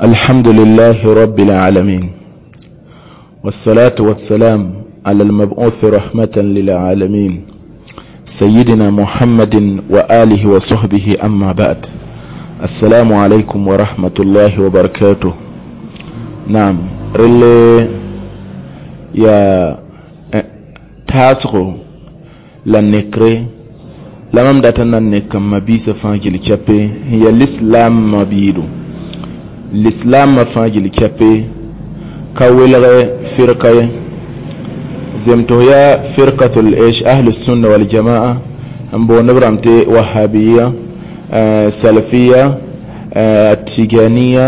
الحمد لله رب العالمين، والصلاة والسلام على المبعوث رحمة للعالمين، سيدنا محمد وآله وصحبه، أما بعد، السلام عليكم ورحمة الله وبركاته. نعم، relle yaa taasgo la nekre la mam dat n na n nek n mabiisã fãa gil kɛpe n ya lislaamã biido lislaamã fãa gil kɛpe ka welge firka ye zemtg yaa firkatul ish ahlusunna waljamaa n boond b rãmb tɩ wahabiya, salafiya, tiganiya,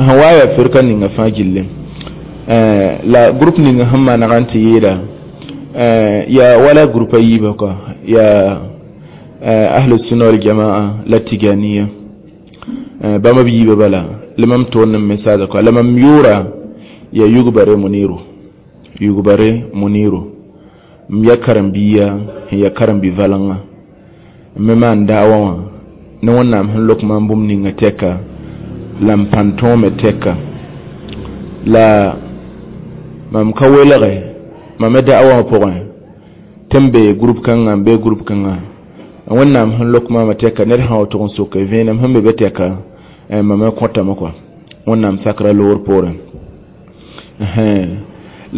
sẽn wa yaa firka ninga fãa gilli la groupe ninga sẽn maneg n tɩ yɩɩda yaa wala groupe a yiibã kɔa yaa ahlusunna waljamaa la tiganiya bãmb b yiibã bala la mam toond n message kɔa la mam yʋʋra yaa Yugbare Muniru, Yugbare Muniru, m ya karen-biiya sẽn ya karen-bi-valenga n me maan daawa wã ne Wẽnnaam sẽn lok maam bũmb ninga tɛka la m pãn tõome tɛka la mam ka welge mam me da'wa wã pʋgẽ tɩ m bee groupe kãngã n bee groupe kãngã. Wẽnnaam sẽn lok maamã tɛka ned sã wa tʋg n soke vẽenem sẽn be be tɛka mam me kõtame kɔa Wẽnnaam sakra loor poorẽ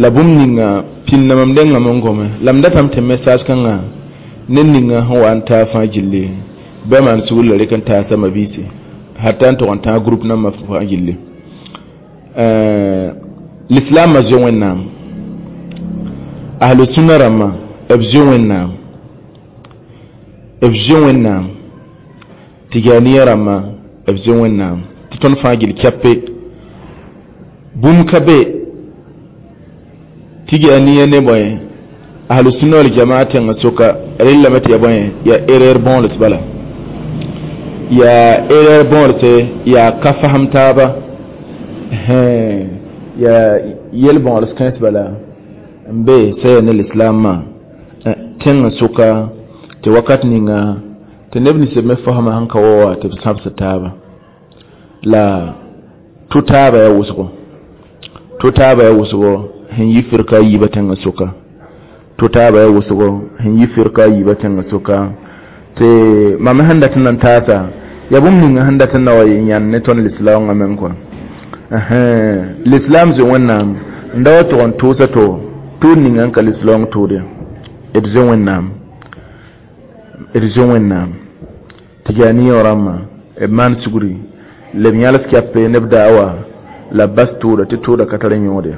la bũmb ninga pĩnda mam dengame n gome la m datame tɩ message kãngã ned ninga sẽn wa n taa fãa gilli bɩ maan sugr la rek n taasa mabiisi hata n tʋg n tãag groupe nambã fãa gilli. Lislaamã zoe Wẽnnaam, ahlu-sũnna rãmbã b zoe Wẽnnaam, b zoe Wẽnnaam, tiganiya rãmbã b zoe Wẽnnaam tɩ tõnd fãa gil kɛpe bũmb ka be tiganiya ne bõe ahlu-sũnna wal jamaa tẽngã soka rellame tɩ ya bõe yaa erreur bõols bala yaa erreur bõolse yaa ka fasem taaba yaa yel bõols kãens bala n be sã yaa ne lislaamã tẽngã soka tɩ wakat ninga tɩ neb nins b me fasma sẽn ka wa wa tɩ b sãbs taaba la tʋ taaba yaa wʋsgo tʋ taaba yaa wʋsgo sẽn yi firka a yiibã tẽngã soka tʋ taaba yaa wʋsgo sẽn yi firka a yiibã tẽngã soka tɩ mam sẽn dat n na n taasa yaa bũmb ninga sẽn dat n na wa yɩ yãnd ne tõnd lislaoongã meng kɔa lislaam zoe Wẽnnaam n da wa tʋg n tʋʋsa to tʋʋd ninga n ka lislaoong tʋʋd ya d zoe Wẽnnaam, d zoe Wẽnnaam. Tɩ rãmbã b maan sugri la b yãls kɛpe ne b daawa la b bas tʋʋda tɩ tʋʋda ka tar yõod ya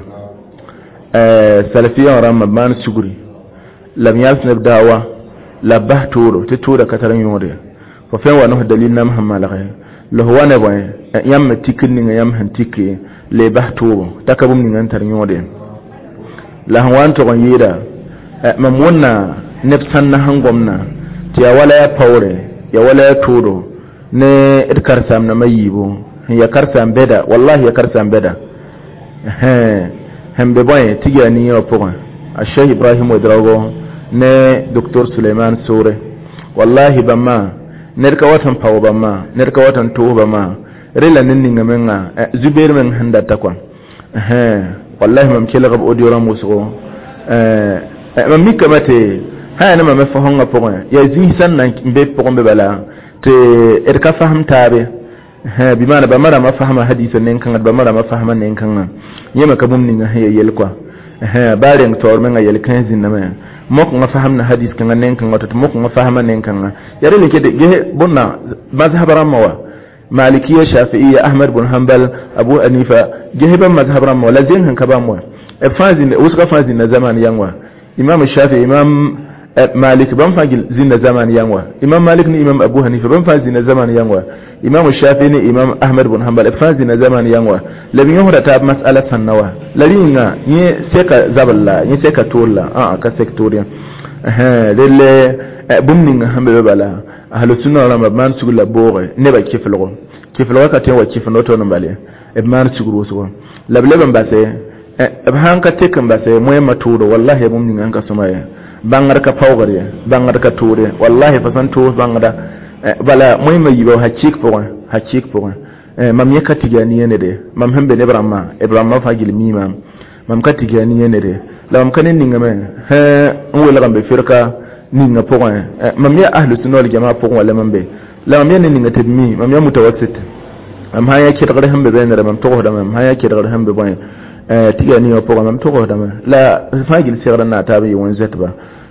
salafiya rãmbã b maan sugri la b yãls ne b daawa la b bas tʋʋdo tɩ tʋʋda ka tar yõod ya fo fẽn wa ne dalil nam sẽn malge la fo wa ne bõe yãmb me tikr ninga yãmb sẽn tike la y bas tʋʋbo t'a ka bũmb ninga n tar yõod ye la sẽn wa n tʋg n yɩɩda mam wʋnna neb sãnna sẽn gomna tɩ yaa wala yaa paoore yaa wala yaa tʋʋdo ne d karen-saam-dãmbã yiibu sẽn yaa karen-saam bɛda wallahi yaa karen-saam bɛda sẽn be bõe Tiganiya wã pʋgẽ a Cheikh Ibrahim Ouedraogo ne Docteur Suleiman Sore wallahi bãmba ned ka wat n pao bãmba ned ka wat n tʋʋs bãmba rela ned ninga menga zubeer meng sẽn data kɔa wallahi mam kelg b audio rãmb wʋsgo mam mikame tɩ sã yaa ne mam fasõngã pʋgẽ yaa zĩis sẽn na n be pʋgẽ be bala tɩ d ka fasem taabe bɩ maana bãmba rãmbã fasma hadisa nen-kãnga bãmba rãmbã fasma nen-kãngã yẽ me ka bũmb ninga sẽn ya yel kɔa baa reng taoor menga yel kãens zĩnname mokẽngã fasemda hadis kãngã nen-kãngã tɩ mokẽngã fasma nen-kãngã yaa rel n ges bõnna mazhab rãmbã wa Malikiya, Shafi'iya, Ahmad bn Hanbal, Abu Hanifa ges bãmb mazhab rãmbã wa la zeng sẽn ka bãmb wa b fãa zĩnda wʋsgã fãa zĩnda zaman yãng wa Imam Shafi, Imam Malik bãmb fãa zĩnda zaman yãng wa Imam Malik ne Imam Abu Hanifa bãmb fãa zĩnda zaman yãng wa Imam Shafi ne Imam Ahmad bn Hanbal b fãa zĩnda zaman yãng wa la b yõsda taab masala sãnna wa la rĩnga yẽ seka zabl la yẽ seka toor la ã ka sek toor yã relle bũmb ninga sẽn be be bala ahlu-sunna rãmba b maan sugr la booge nebã kɩflgo kɩflgã ka tõe n wa kɩfend woto n bale b maan sugr wʋsgo la b leb n base b sãn ka tek n base moẽmã tʋʋdo wallahi bũmb ninga sẽn ka sõma ye bãngd ka paoogd ye bãngd ka tʋʋd ye wallahi fa sẽn tʋʋs bãngda bala moẽmã yiibã hakɩɩk pʋgẽ Hakik pʋgẽ mam yẽ ka tigani nede mam sẽn be ne b rãmbã b rãmbã fãa gill mii maam mam ka tigani nede la mam ka ne ningame n welg n be firka ninga pʋgẽ mam yaa ahlu sunna wal jamaa pʋgẽ wala mam be la mam yaa ne ninga tɩ b mi mam yaa mutawassit mam sã n yaa kedgr sẽn be bẽenere mam togsdame mam sã n yaa kedgr sẽn be bõe tigani wã pʋgẽ mam togsdame la fãa gill segd n naag taab n yɩ wẽn-zoetba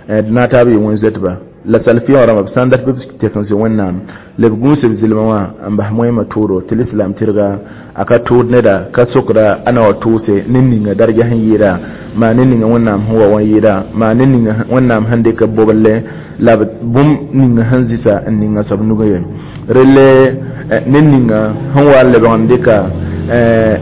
d naag taab n yɩ wẽn-zoetba la salafiyã wã rãmba b sã n dat bɩ b tek n zoe wẽnnaam la b gũus b zɩlmã wã n bas moẽmã tʋʋdo tɩ lislam tɩrga a ka tʋʋd neda ka sokda a na wa tʋʋse ne ninga darja sẽn yɩɩda maa ne ninga wẽnnaam sẽn wa wã yɩɩda maa ne ninga wẽnnaam sẽn dɩk b boblle la bũmb ninga sẽn zɩsa n ninga soab nugã ye relle ne ninga sẽn wa n lebg n dɩka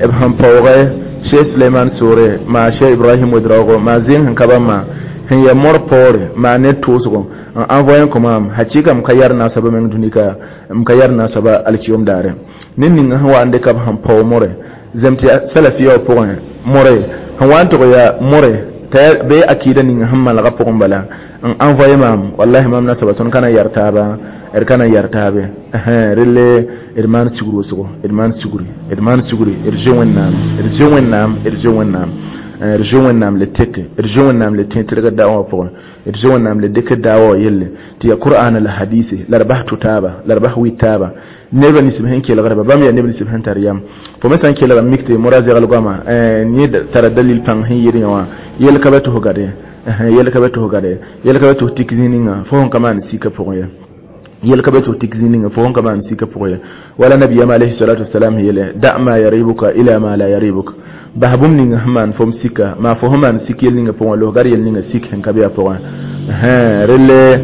b sẽn paooge Cheikh Suleiman Soore maa Cheikh Ibrahim Ouedraogo maa zẽng sẽn ka bãmba sẽn yaa mor paoore maa ne tʋʋsgo n envoyé n kõ maam hakɩɩka m ka yar naasaba meng dũnika m ka yar naasaba alkiyom daare ne ninga sẽn wa n dɩka b sẽn pao more zem tɩ salafiya wã pʋgẽ more sẽn wa n tʋg yaa more t'a bee akida ninga sẽn malgã pʋgẽ bala n envoyé maam wallahi maam nasaba tõnd ka na n yar taaba d ka na n yar taabe relle d maan sugr wʋsgo d maan sugri d maan sugri d zoe wẽnnaam d zoe wẽnnaam d zoe wẽnnaam d zoe wẽnnaam le teke d zoe wẽnnaam le tẽ tɩrg daawa wã pʋgẽ d zoe wẽnnaam le dɩk daawa wã yelle tɩ yaa qur'ana la hadise la d bas tʋ taaba la d bas wɩ taaba neba ninsb sẽn kelgdba bãmb yaa neb ninsb sẽn tar yam fo me sã n kelg n mik tɩ mora zegl goama yẽ tara dalil pãng sẽn yɩɩd yẽ wã yel ka ba tʋs gade yel ka ba tʋs gade yel ka ba tʋs tik zĩ ninga fo sẽn ka maan sika pʋgẽ ye yel ka ba tʋs tik zĩ ninga fo sẽn ka maan sika pʋgẽ ye wala nabiyama alayhi salatu wasalam yele da ma yaribuka ila ma la yaribuk bas bũmb ninga sẽn maan fom sika maa fo sẽn maan sik yel ninga pʋgẽ losgar yel ninga sik sẽn ka be a pʋgẽ relle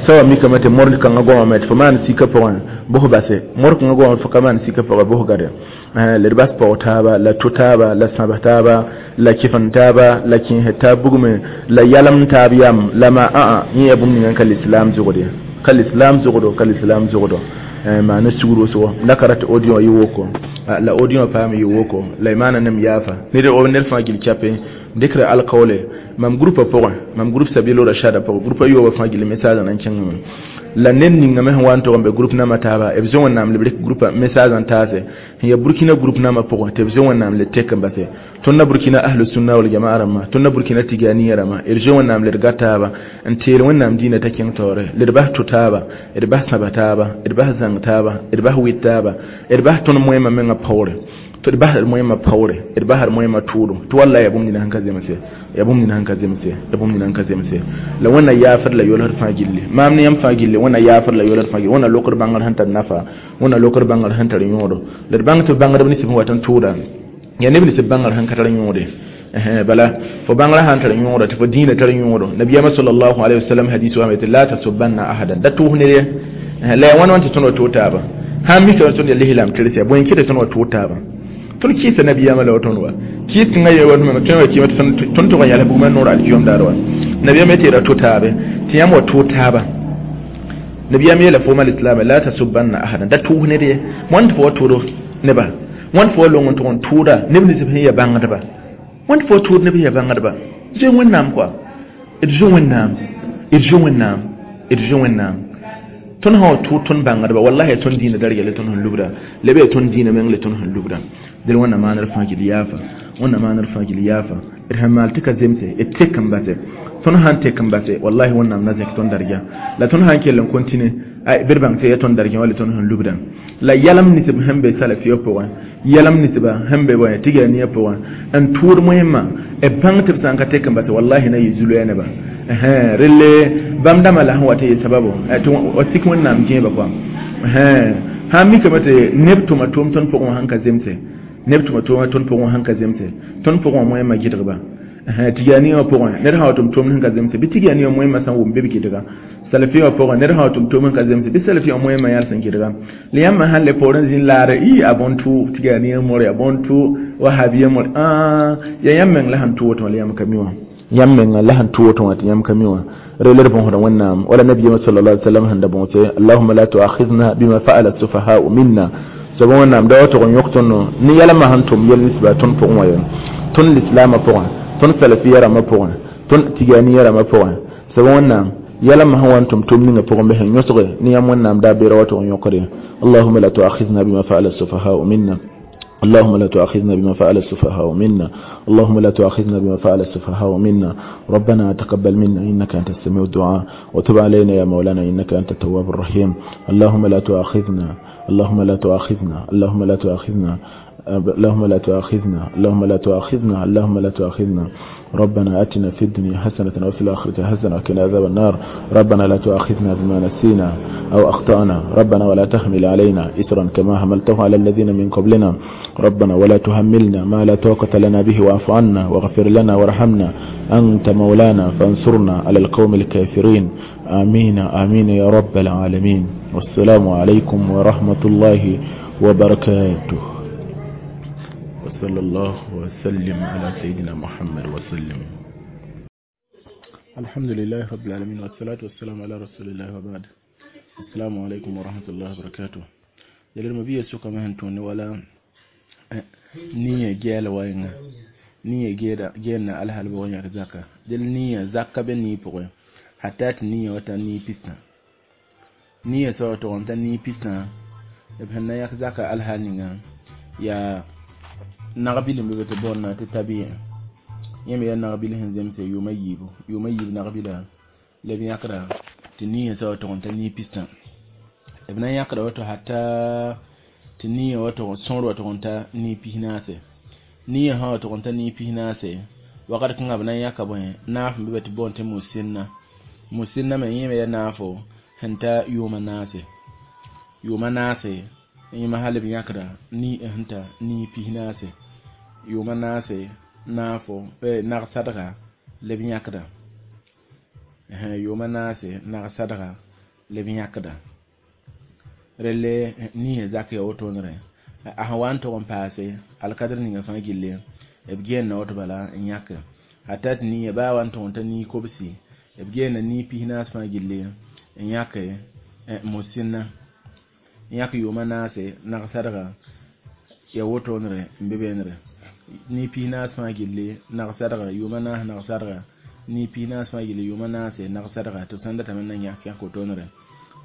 sawa mikame tɩ mor kãngã goamame tɩ fo maan sika pʋgẽ bʋs base mor kãngã goame fo ka maan sika pʋgẽ bʋs gade la d bas paoog taaba la tʋ taaba la sãbs taaba la kɩfend taaba la kẽes taab bugme la yalem taab yam la ma ãa yẽ yaa bũmb ninga n ka lislaam zʋgd ye ka lislaam zʋgdo ka lislaam zʋgdo maa ne sugr wʋsgo la ka rat audio wã yɩ woko la audio wã paam yɩ woko la y maana nem yaafa ned fãa gil chape dɩkra alkaoole mam groupe pʋgẽ mam groupe sabilo rashada pʋgẽ groupe a yoobã fãa gil message n kẽngame la ned ningame sẽn wa n tog n be groupe nambã taaba b zoe wẽnnaam le b rɩk groupe message n taase sẽn yaa burkina groupe nambã pʋgẽ tɩ b zoe wẽnnaam le tek n base tõnd na burkina ahlu sunna wal jamaa rãmbã tõnd na burkina tiganiya rãmbã d zoe wẽnnaam le d ga taaba n teel wẽnnaam dĩinã t'a kẽng taoore le d bas tʋ taaba d bas sãba taaba d bas zãng taaba d bas wɩt taaba d bas tõnd moẽmã mengã paoore tɩ d basd moẽmã paoore d basd moẽmã tʋʋdo tɩ walla yaa bũmb nina sẽn ka zemse yaa bũmb nina sẽn ka zemse yaa bũmb nina sẽn ka zemse la wẽnna yaafd la yolsd fãa gilli maam ne yãmb fãa gilli wẽnna yaafd la yolsd fãa gilli wẽnna lokd bãngr sẽn tar nafa wẽnna lokd bãngr sẽn tar yõodo la d bãng tɩ bãngdb ninsb sẽn wat n tʋʋda yaa neb ninsb bãngr sẽn ka tar yõode bala fo bãngrã sãn tar yõoda tɩ fo dĩinã tar yõodo nabiyaamã sallallahu alayhi wa sallam hadis wame tɩ la tasubanna ahadan da tʋʋs ned ye la yaa wãn wãn tɩ tõnd wa tʋʋg taaba sãn mika tõnd yaa lislam tɩrs yaa bõe n kɩ tɩ tõnd wa tʋʋg taaba tõnd kɩɩsa nabiyaamã la wa tõnd wa kɩɩs tẽngã ye wa tõe wa kɩɩma tõnd tʋg n yals bugmã noor alkiyom daar wa nabiyaamã tɩ ra tʋ taabe tɩ yãmb wa tʋʋg taaba nabiyaam yeela fooma lislaama la tasubanna ahadan da tʋʋs ned ye wãn tɩ fo wa tʋʋd neba wãn fo wa long n tʋg n tʋʋda neb ninsb sẽn ya bãngdba wãn fo wa tʋʋd neb sẽn ya bãngdba zoe wẽnnaam kɔa d zoe wẽnnaam d zoe wẽnnaam d zoe wẽnnaam tõnd sã wa tʋʋd tõnd bãngdba wallahi yaa tõnd dĩinã darga la tõnd sẽn lubda la b yaa tõnd dĩinã meng la tõnd sẽn lubda dẽl wẽnna maanr fãa gil yaafa wẽnna maanr fãa gil yaafa d sẽn maal tɩ ka zemse d tek n base tõnd sãn tek n base wallahi wẽnnaam na zẽk tõnd darga la tõnd sãn kell n kontine bɩ d bãng tɩ yaa tõnd dargẽ wala tõnd sẽn lubda la yalem ninsb sẽn be salafiyã pʋgẽ yalem ninsba sẽn be bõe tiganiya pʋgẽ n tʋʋd moẽmã b bãng tɩ b sã n ka tek n base wallahi na yɩ zu-loɛɛ neba relle bãmb dãmbã la sẽn wa tɩ yɩ sababo tɩ wa sik wẽnnaam gẽeba kɔa sãn mikame tɩ neb tʋma tʋʋm tõnd pʋgẽ wã sẽn ka zemse neb tʋma tʋʋma tõnd pʋgẽ wã sẽn ka zemse tõnd pʋgẽ wã moẽmã gɩdgba tigani wã pʋgẽ ned sã wa tʋm tʋʋmd sẽn ka zemse bɩ tigani wã moẽmã sã n wʋm bɩ b gɩdga salafi wã pʋgẽ ned sã wa tʋm tʋʋm sẽn ka zemse bɩ salafi wã moẽmã yãl sẽn gɩdga la yãmb sãn le poorẽ zĩn laare ɩ a bõn-tʋ tigani more a bõn-tʋ wahabiya more yaa yãmb meng la sẽn tʋ woto wã la yãmb ka mi wã yãmb menga la sẽn tʋ woto wã tɩ yãmb ka mi wã rel d bõosda wẽnnaam wala nabiyama sallallahu alaihi wasallam sẽn da bõose allahumma la tuakhidna bima fa'ala sufaha'u minna soaba wẽnnaam da wa tʋg n yõk tõndo ne yɛlmã sẽn tʋm yel ninsba tõnd pʋgẽ wã ye tõnd lislaamã pʋgẽ tõnd salafiya rãmbã pʋgẽ tõnd tiganiya rãmbã pʋgẽ soaba wẽnnaam Yɛla me sẽn wa n tʋm tʋm ninga pʋgẽ bɩ sẽn yõsge ne yãmb Wẽnnaam daar beera wa tɩ yõkre. اللهم لا تؤاخذنا بما فعل السفهاء منا. اللهم لا تؤاخذنا بما فعل السفهاء منا. اللهم لا تؤاخذنا بما فعل السفهاء منا. ربنا تقبل منا إنك أنت السميع الدعاء، وتب علينا يا مولانا إنك أنت التواب الرحيم. اللهم لا تؤاخذنا، اللهم لا تؤاخذنا، اللهم لا تؤاخذنا، اللهم لا تؤاخذنا، اللهم لا تؤاخذنا، اللهم لا تؤاخذنا. ربنا آتنا في الدنيا حسنة وفي الآخرة حسنة وقنا عذاب النار. ربنا لا تؤاخذنا بما نسينا أو أخطأنا. ربنا ولا تحمل علينا إصرا كما حملته على الذين من قبلنا. ربنا ولا تحملنا ما لا طاقة لنا به، واعف عنا واغفر لنا وارحمنا، أنت مولانا فانصرنا على القوم الكافرين. آمين آمين يا رب العالمين. والسلام عليكم ورحمة الله وبركاته. وصلى الله وسلم على سيدنا محمد وسلم. الحمد لله رب العالمين، والصلاة والسلام على رسول الله، وبعد. السلام عليكم ورحمة الله وبركاته. Yɛlɛ ma biya suka ma tõnd wala niyã gɛɛla wa yẽŋa niyã gɛɛl na alhal bʋg yãk zaka del niyã zaka be nii pʋgẽ hata tɩ niyã wa ta nii pistã niyã soab tʋg n ta nii pistã b sẽn na yãk zaka alhal ninga yaa nag-bil n be tɩ boonda tɩ tabi'a yẽ me yaa nag-bil sẽn zemse yʋʋma yiibu yʋʋma yiib nag-bila la b yãkda tɩ niyã soab tʋg n ta nii pistã b na n yãkda woto hata tɩ niyã wa tʋg sõor wa tʋg n ta nii pis-naase niyã sã wa tʋg n ta nii pis-naase wakat kãngã b na n yãka bõe naaf n be be tɩ boond tɩ musinna musinna me yẽ me yaa naafo sẽn ta yʋʋma naase yẽma hal b yãkda nii sẽn ta nii pis-naase yʋʋma naase naafo nag-sadga la b yãkda yʋʋma naase nag-sadga la b yãkda relle niyã zak ya wotone a sẽn wa n tʋg n paase alkadr ninga fãa gilli b geenda woto bala n yãke hata tɩ niyã baa wa n tʋg n ta nii kobsi b geenda nii pis-naas fãa gilli n yãke musinna n yãk yʋʋma naase nag-sadga ya wotonere n be beenere nii pis-naas fãa gilli nag-sadga yʋʋma naas nag-sadga nii pis-naas fãa gilli yʋʋma naase nag-sadga tɩ b sãn datame n na yãk yãk wotonere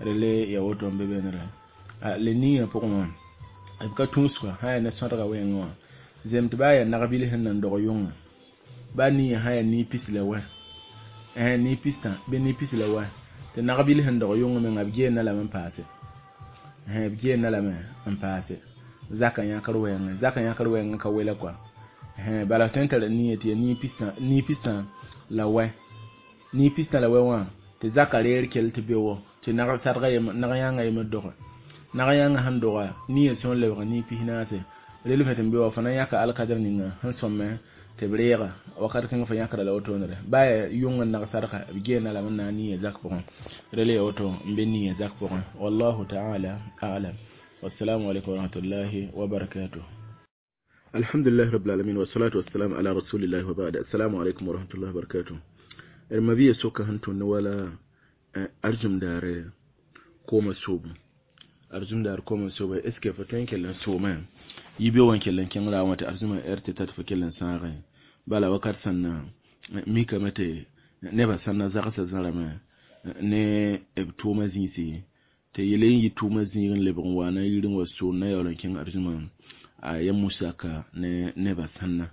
relle ya woto n be beenere le niyã pʋgẽ wã b ka tũusga sã yaa ne sõdga wɛɛngẽ wã zem tɩ baa yaa nag-bil sẽn nan dog yʋngã baa niyã sã yaa nii pis la wɛ nii pistã bɩ nii pis la wɛ tɩ nag-bil sẽn dog yʋngã menga b geenda lame n paase b geenda lame n paase zaka yãkr wɛɛngẽ zaka yãkr wɛɛngẽ ka wela kɔa bala tõe n tara niyã tɩ yaa nii pistã la wɛ nii pistã la wɛ wã tɩ zaka reer kell tɩ be wɔ tɩ nag-yãangã yembr doge nag-yãangã sẽn doga niyã sõor lebg nii pis-naase rel fẽ tɩ n be wa fo na n yãka alkadr ninga sẽn sõme tɩ b reega wakat kãngã fo yãkra la wotonere baa yaa yʋng n nag-sadga b geenda lame n na n niyã zak pʋgẽ rel yaa woto n be niyã zak pʋgẽ wallahu taala alam. Wassalamu alaikum warahmatullahi wabarakatuh. Alhamdulillahi rabbil alamin, wassalatu wassalamu ala rasulillahi wa ba'd. Assalamu alaikum warahmatullahi wabarakatuh. D mabia soka sẽn tõnd wala arzum daare kooma soobu arzum daar kooma soobu est ce que fo tõe n kell n soome yibe wã kell n kẽng raoongã tɩ arzumã r tɩ ta tɩ fo kell n sãagẽ bala wakat sẽn na mikame tɩ nebã sãn na zagsã zãrame ne b tʋʋma zĩisi tɩ yele n yɩ tʋʋma zĩig n lebg n waana yir n wa soon na yaool n kẽng arzumã a ya musaka ne nebã sãnna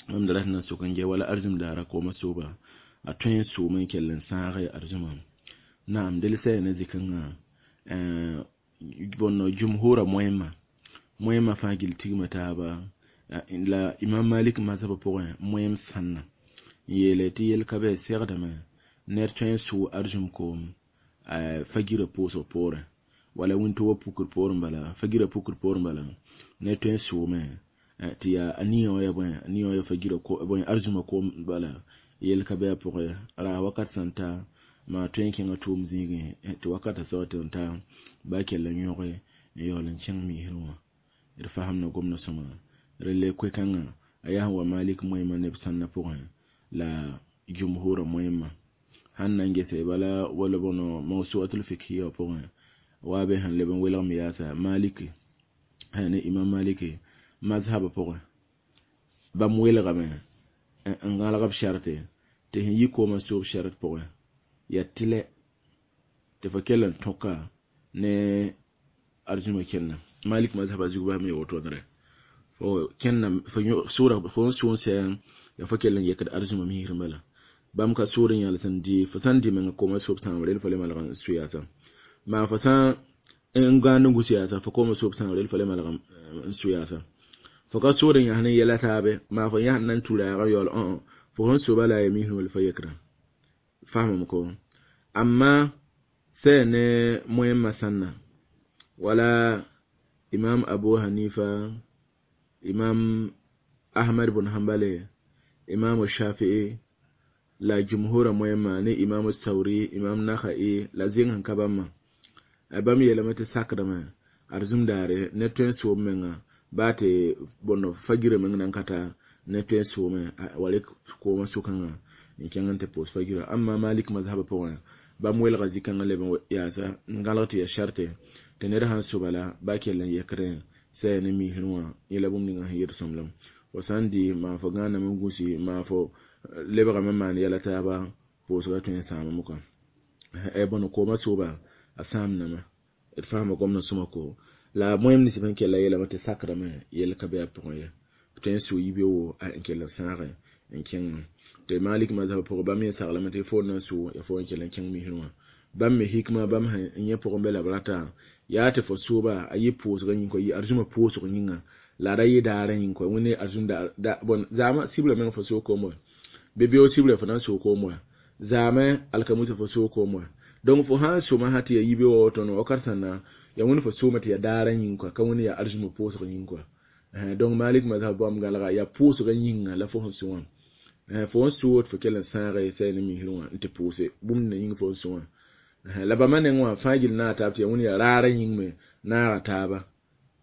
mam da rat na sok n ge wala arzum daara kooma sooba a tõe n soom n kell n sãage arzumã naam del sã yaa ne zĩ-kãngã bõn jumhurã moẽmã moẽmã fãa gill tigma taaba la Imam Malik mazhabã pʋgẽ moẽm sãnna n yeele tɩ yel ka bɩ segdame ned tõe n sʋʋ arzum koom fagirã pʋʋsg poorẽ wala wĩntoogã pukr poorẽ bala fagirã pukr poorẽ bala ned tõe n sʋʋme tɩ yaa a niyã wã yaa bõe a niyã wã yaa fagirã bõe arzumã koom bala yel ka bɩ a pʋgẽ ra wakat sẽn ta maa tõe n kẽngã tʋʋm zĩigẽ tɩ wakatã soab tɩ n ta baa kell n yõge n yaool n kẽng miisr wã d fasemda gomdã sõma relle koe-kãngã a yaa sẽn wa Malik moẽmã neb sãnna pʋgẽ la jumhurã moẽmã sãn na n gese bala wala bõno mawsuatul fikhiya pʋgẽ wa be sẽn leb n welg me yaasa Maliki ne Imam Maliki mazhabã pʋgẽ bãmb welgame n gãlg b sharte tɩ sẽn yi koomã soob shart pʋgẽ Yaa tɩlɛ tɩ fo kell n tõka ne arzũma kẽnna. Malik mazhaba zug baa me woto-nere. Fo kẽnna fo sʋʋra fo n sʋ n sɛ yaa fo kell n yekd arzũma misrẽ bala. Bãmb ka soor n yãls n dɩ fo sã n dɩ menga kooma soob sãam rel fo le malg n sʋ yaasa. Maa fo sã n gãand n gus yaasa fo kooma soob sãam rel fo le malg n sʋ yaasa. Fo ka soor n yãs ne yɛla taabe maa fo yãsd na n tu raagã yaool õ fo sẽn soba la a yaa misrẽ wall fo yekra. Faamame ko amma sɛ ne moẽmã sãnna wala Imam Abu Hanifa, Imam Ahmad bn Hanbale, Imam Shafi'i la jumhurã moẽmã ne Imam Sauri, Imam Nakhai la zẽng sẽn ka bãmbã. Bãmb yeelame tɩ sakdame arzũm daare ned tõe n soom menga baa tɩ bõnd fagirã meng nan ka ta ned tõe n soome wa rek koomã sʋkãngã n kẽng n tɩ pʋʋs fagirã. Amma Malik mazhabã pʋgẽ bãmb welga zĩ-kãngã leb n yaasa n gãlg tɩ yaa sharte tɩ ned sãn so bala ba kell n yekdẽ sɛ ne misrẽ wã yẽ la bũmb ninga sẽn yet sõmblem. Fo sã n dɩ maa fo gãaname n gũsi maa fo lebgame n maan yɛla taaba pʋʋsgã tõe n sãamame kɔa. Bõn koomã sooba a sãamdame. D faama gomdã sõma ko la moẽm nins sẽn kella yeelame tɩ sakdame yell ka be a pʋgẽ ye. Tõe n sʋ yibeoogo n kell n sãage n kẽngẽ. Tɩ Malik mazhabã pʋgẽ bãmb yẽ saglame tɩ fo n na n sʋ yaa fo n kell n kẽng misrẽ wã. Bãmb me hikma bãmb sẽn yẽ pʋgẽ be la b rata yaa tɩ fo sooba a yɩ pʋʋsgã yĩng kɔa yɩ arzũmã pʋʋsg yĩnga la a ra yɩ daarã yĩng kɔa wẽnde arzũm bõn zaamã sibrã meng fo soog koom wa bɩ beoog sibrã fo na n soog koom wa zaamẽ alkamusa fo soog koom wa. Donc fo sã n soma sã tɩ yaa yibeoogã woto no wakat sãnda yaa wẽnd fo soome tɩ yaa daarã yĩng kɔa ka wẽnd yaa arzũmã pʋʋsg yĩng kɔa. Donc Malik mazhab bãmb gãlga yaa pʋʋsgã yĩnga la fo sẽn sũ wã. Fo n sʋʋd fo kell n sãage sɛ ne misrẽ wã n tɩ pʋʋse bũmb nina yĩng fo n sũ wã. La bãmba neng wã fãa gill naag taab tɩ yaa wẽnd yaa raarã yĩng me naaga taaba.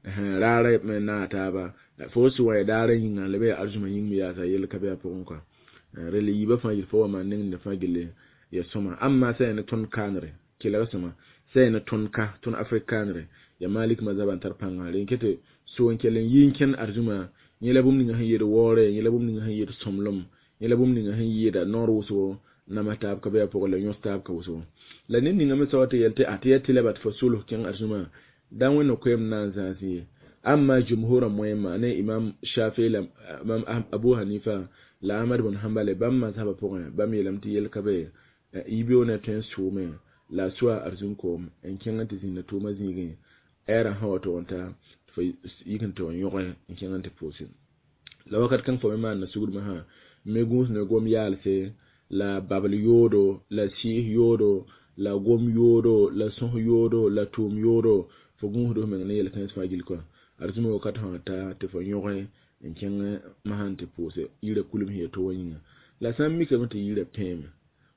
Raarã me naag taaba. Fo n sũ wã yaa daarã yĩnga la bɩ yaa arzũmã yĩng me yaasa yell ka be a pʋgẽ kɔa. Rel yiibã fãa gill fo wa maan neng nina fãa gill yaa sõma. Amma sã yaa ne tõnd kaanere kelg sõma sã yaa ne tõnd ka tõnd Afrik kaanere yaa Malik mazhabã n tar pãnga rẽ ket so n kell n yi n kẽnd arzũmã yẽ la bũmb ninga sẽn yet waoore yẽ la bũmb ninga sẽn yet sõmblem yẽ la bũmb ninga sẽn yɩɩda noor wʋsgo namas taab ka be a pʋgẽ la yõs taab ka wʋsgo. La ned ninga me soab tɩ yel tɩ a tɩ yaa tɩlɛ ba tɩ fo solg kẽng arzũmã da wẽnd koeem na n zãas ye. Amma jumhurã moẽmã ne Imam Shafi la Imam Abu Hanifa la Ahmad bn Hanbale bãmb mazhabã pʋgẽ bãmb yeelame tɩ yell ka be yibeoog na tõe n soome la a soa arzũm koom n kẽng n tɩ zĩnda tʋʋmã zĩigẽ ɛɛrã sã wa tog n ta tɩ fo yik n tɩ yõge n kẽng n tɩ pʋʋse. La wakat kãng fo me maanda sugdmã sã me gũus ne gom yaalse la babl yoodo la sɩɩs yoodo la gom yoodo la sõs yoodo la tʋʋm yoodo fo gũusd f meng ne yel-kãens fãa gill kɔa. Arzũmã wakat sã wa ta tɩ fo yõge n kẽng masã n tɩ pʋʋse yirã kulem sẽn yaa to wã yĩnga. La sã n mikame tɩ yirã pẽeme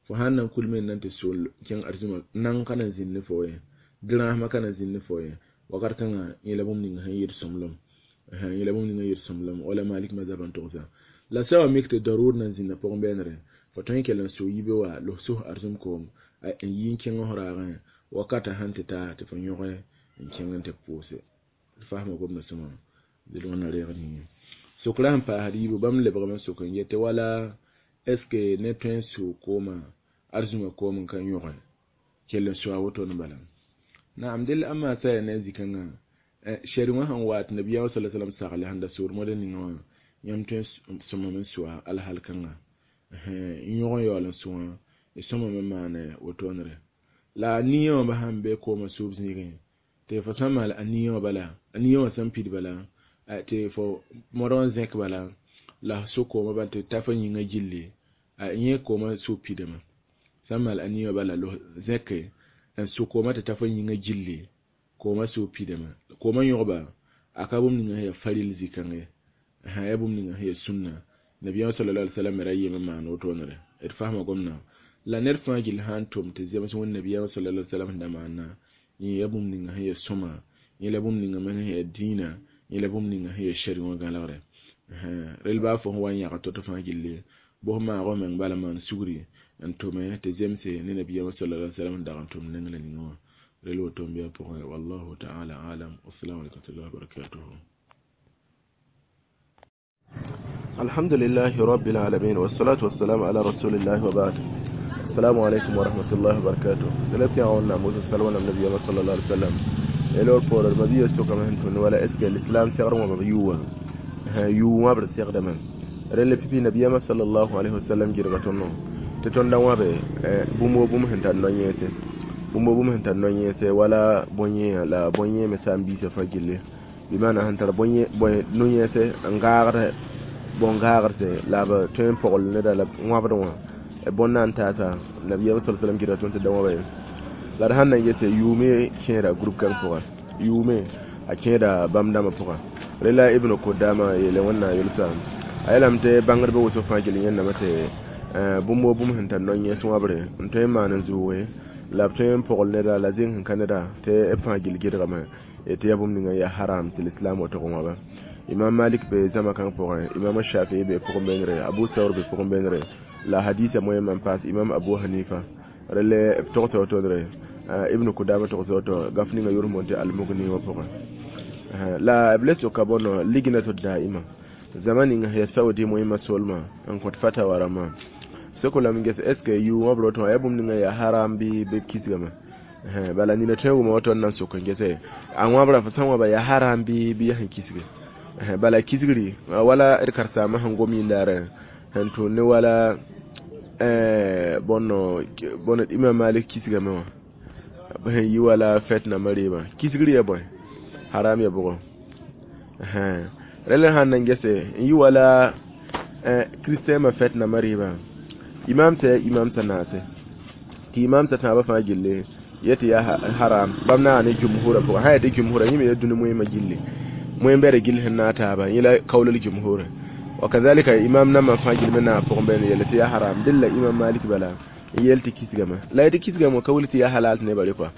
fo sãn na n kulme n na n tɩ sol kẽng arzũmã nang ka na n zĩnd ne fo ye dɩrãasmã ka na n zĩnd ne fo ye wakat kãngã yẽ la bũmb ninga sẽn yɩɩd sõmblem yẽ la bũmb ninga yɩɩd sõmblem wala Malik mazhabã n togsa. La sã wa mik tɩ daruur na n zĩnda pʋgẽ bɛɛnere fo tõe n kell n sʋ yibe wa los sos arzũm koom n yi n kẽng f raagẽ wakatã sãn tɩ ta tɩ fo yõge n kẽng n tɩ pʋʋse. Faasma gomdã sõma dɩl wẽnna reegd yĩnga. Sokrã sẽn paasd yiibu bãmb lebgame n sok n yetɩ wala est ce que ned tõe n sʋʋ koomã arzũmã koom n ka yõge kell n sʋa woto ne bala. Naam dɩl amma sã yaa ne zĩ-kãngã shɛr wã sẽn wa tɩ nabiyaam sala salam sagle sẽn da soor modẽ ninga wã yãmb tõe n sõmame n sʋa alhal kãnga n yõg n yaool n sũ wã y sõmame n maane wotoonere. La a nia wã sãn be koomã sʋʋb zĩigẽ tɩ fo sãn maal a nia wã bala a nia wã sẽn pid bala tɩ fo modg n zẽk bala la f sʋ koomã bala tɩ ta fo yĩngã gilli a yẽ koomã sʋʋb pidame. Sãn maal a nia wã bala los zẽke n sʋ koomã tɩ ta fo yĩngã gilli koomã sʋʋb pidame. Koomã yõgba a ka bũmb ninga sẽn yaa faril zĩ-kãng ye yaa bũmb ninga sẽn yaa sũnna. Nabiyaam sallallahu alaihi wasallam me ra yem n maan wotoonere. D faasma gomdã la ned fãa gill sã n tʋm tɩ zems wẽnd nabiyaam sallallahu alaihi wasallam sẽn da maana yẽ yaa bũmb ninga sẽn yaa sõma yẽ la bũmb ninga me sẽn yaa dĩinã yẽ la bũmb ninga sẽn yaa shɛr wã gãlegre. Rel baa fo sẽn wa n yãgd to-to fãa gilli bos maag f meng bala maan sugri n tʋme tɩ zemse ne nabiyaam sallallahu alaihi wasallam sẽn dag n tʋm neng la ninga wã. Rel woto n bɩ a pʋgẽ. Wallahu ta'ala alam. Wassalamu alaikum warahmatullahi wabarakatuh. Alhamdulillahi rabbil alamin wassalatu wassalamu ala rasulillahi wa ba'd. Assalamu alaikum wa rahmatullahi wa barakatuh. Tɩ la pẽg Wẽnnaam wʋsg sal wẽnnaam nabiyaamã sallallahu alaihi wasallam. Yel poorẽ d mabia sokame sẽn tũni wala est ce que l'islam segd wãb b yʋʋ wã yʋʋ wãbd segdame rẽnd pipi nabiyaamã sallallahu alaihi wasallam gɩdga tõnd tɩ tõnd da wãbe bũmb wo bũmb sẽn tar no-yẽese bũmb wo bũmb sẽn tar no-yẽese wala bõe-yẽa la bõe-yẽ me saam-biisã fãa gilli bɩ maana sẽn tar no-yẽese n gaagd bõn-gaagdse la b tõe n pogl neda la wãbd wã bõn na n taasa nabiyaamã sa sallam gɩdga tõnd tɩ da wãba ye la d sãn na n gese yʋʋme kẽeda group kãng pʋga yʋʋme a kẽeda bãmb dãmbã pʋga rela Ibn Kudama yeele Wẽnnaam yelsa a yeelame tɩ bãngdbã wʋsg fãa gill yẽndame tɩ bũmb wo bũmb sẽn tar no-yẽs wãbre n tõe n maan n zʋʋge la b tõe n pogl neda la zẽng sẽn ka neda tɩ b fãa gill gɩdgame tɩ yaa bũmb ninga yaa haram tɩ l'islam wa tog n wãba. Imam Malik be zãma kãng pʋgẽ, Imam Shafii be pʋgẽ beenre, Abu Saur be pʋgẽ beenre la hadisa moẽmã n paas Imam Abu Hanifa rele b togsa wotodre Ibn Kudama togsa woto gaf ninga yʋr moon tɩ Almugni wã pʋgẽ la b le soka bõno lignatu daima zama ninga ya Saudi moẽmã solmã n kõt fatawa rãmbã soko lame ges est ce que yʋʋ wã b rotẽ wã yaa bũmb ninga yaa haram bɩ b kisgame bala nina tõe n wʋma woto n na n sok n gese a wãbrã fo sã n wãba yaa haram bɩ yaa sẽn kisge bala kisgri wala d karen-saambã sẽn gom yĩndaarẽ sẽn tʋʋn ne wala bõno bõno Imam Malik kisgame wã sẽn yi wala fɛt nambã reebã kisgr ya bõe haram ya bʋgɔ rẽl sãn na n gese n yi wala kristɛmã fɛt nambã reebã imam t'a imam t'a naase tɩ imam t'a tãabã fãa gilli yetɩ yaa haram bãmb na ne jumhurã pʋgã sã yaa tɩ jumhurã yẽ me yaa dũni moẽmã gilli moẽm-bɛda gill sẽn naag taaba yẽ la kaoolal jumhurã wa kazalika imam nambã fãa gill me naag pʋgẽ bɛɛn yelle tɩ yaa haram dẽn la Imam Malik bala n yeel tɩ kisgame la tɩ kisgame ka wilg tɩ yaa halal tɩ nebã re kɔa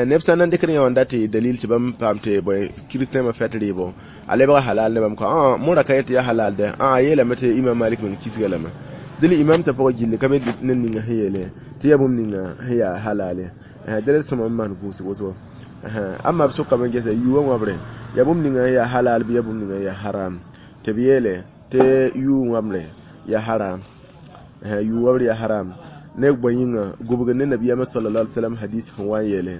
neb sã n na n dɩkd yã wã n dat tɩ dalil tɩ bãmb paam tɩ bõe kristɛmã fɛt rɩɩbõ a lebga halal ne bãmb kɔa mõra ka yet tɩ yaa halal dɛ a yeelame tɩ Imam Malik meng kisga lame dẽl imam t'a pʋgã gilli ka be ned ninga sẽn yeele tɩ yaa bũmb ninga sẽn yaa halale dẽl sõma n maan gũusg woto amma b sʋkame gese yʋʋ wãbre yaa bũmb ninga sẽn yaa halal bɩ yaa bũmb ninga yaa haram tɩ b yeele tɩ yʋʋ wãbre yaa haram yʋʋ wãbre yaa haram ne bõe yĩnga gubg ne nabiyaamã sallallahu alaihi wasallam hadis sẽn wa n yeele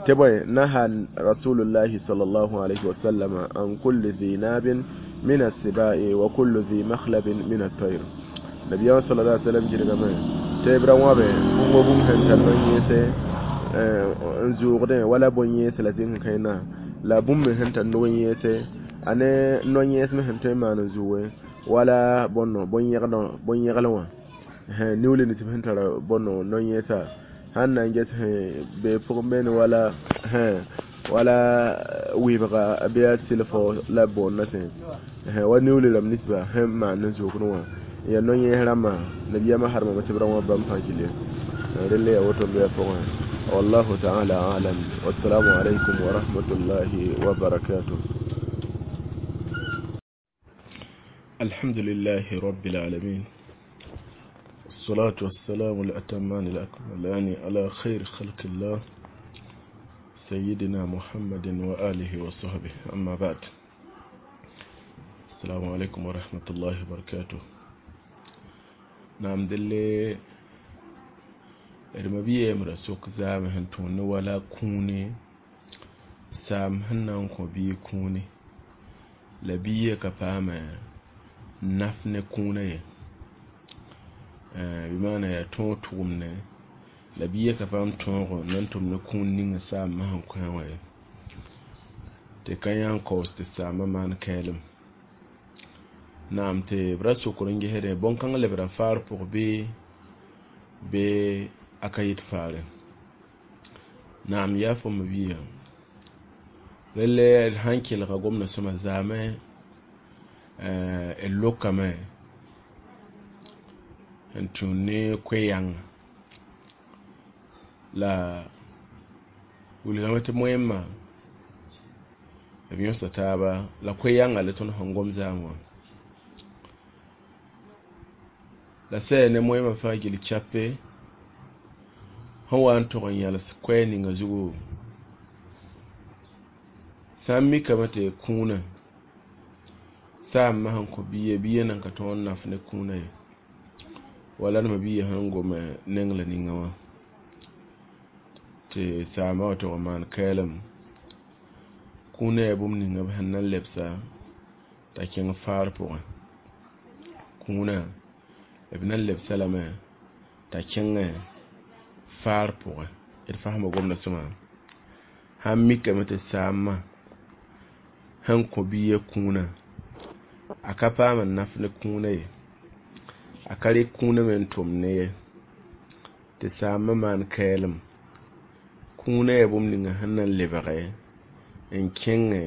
tɩ bõe naha rasulullahi sallallahu alaihi wasallam an kulli dhi nabin min as-sibai wa kulli dhi makhlabin min at-tayr nabiyaamã sallallahu alaihi wasallam gɩdgame tɩ b ra wãbe bũmb bũmb sẽn tar no-yẽese n zʋʋgdẽ wala bõn-yẽes la zẽng sẽn kãena la bũmb me sẽn tar nog yẽese a ne no-yẽes me sẽn tõe n maan n zʋʋge wala bõno bõn-yẽglẽ wã niuule nins sẽn tar bõno no-yẽesa sãn na n ges be pʋgẽ beene wala wala wɩbga bɩ a sɩlfo la boondã sẽ wa niuule rãmb ninsba sẽn maan n zʋʋgd wã ya no-yẽes rãmbã nabiyaamã harmame tɩ b ra wã bãmb fãa gilli relle ya woto n be a pʋgẽ wallahu taala alam wassalamu alaikum wa rahmatullahi wa barakatuh. الحمد لله رب العالمين والصلاة والسلام الأتمان الأكملان على خير خلق الله سيدنا محمد وآله وصحبه أما بعد السلام عليكم ورحمة الله وبركاته. نعم دلي رمبيه مرسوك زام هنتون ولا كوني سام هنان كوبي كوني لبيه كفامة naf ne kũunã ye bɩ maana yaa tõog tʋgem la bia ka paam tõogo na n tʋm ne kũun ninga saambã sẽn kõ wã ye tɩ ka yã n kaoos tɩ saambã maan kɛɛlem naam tɩ b ra sokr n gesdẽ bõn-kãng lebra faar pʋg bɩ a ka yɩt faare naam yaa fo me bia relle d sãn kelga gomdã sõma zaamẽ d lokame n tũud ne koe-yãnga la wilgame tɩ moẽmã b yõsa taaba la koe-yãnga la tõnd sẽn gom zaam wã la sɛ ne moẽmã fãa gill chape sẽn wa n tog n yãls koɛɛ ninga zugu sã n mikame tɩ kũunã saambã sẽn kõ bia bia nan ka tõog n naf ne kũunã ye Wala d ma-biigã sẽn gome neng la ninga wã tɩ saamba wã tog n maan kɛɛlem kũunã yaa bũmb ninga b sẽn na n lebsa t'a kẽng faar pʋgẽ. Kũunã b na n lebsa lame t'a kẽngẽ faar pʋgẽ. D fasma gomda sõma sãn mikame tɩ saamã sẽn kõ biigã kũunã a ka paam n naf ne kũunã ye, a ka rɩk kũunã me n tʋm ne ye, tɩ saambã maan kɛɛlem kũunã yaa bũmb ninga sẽn na n lebge n kẽngẽ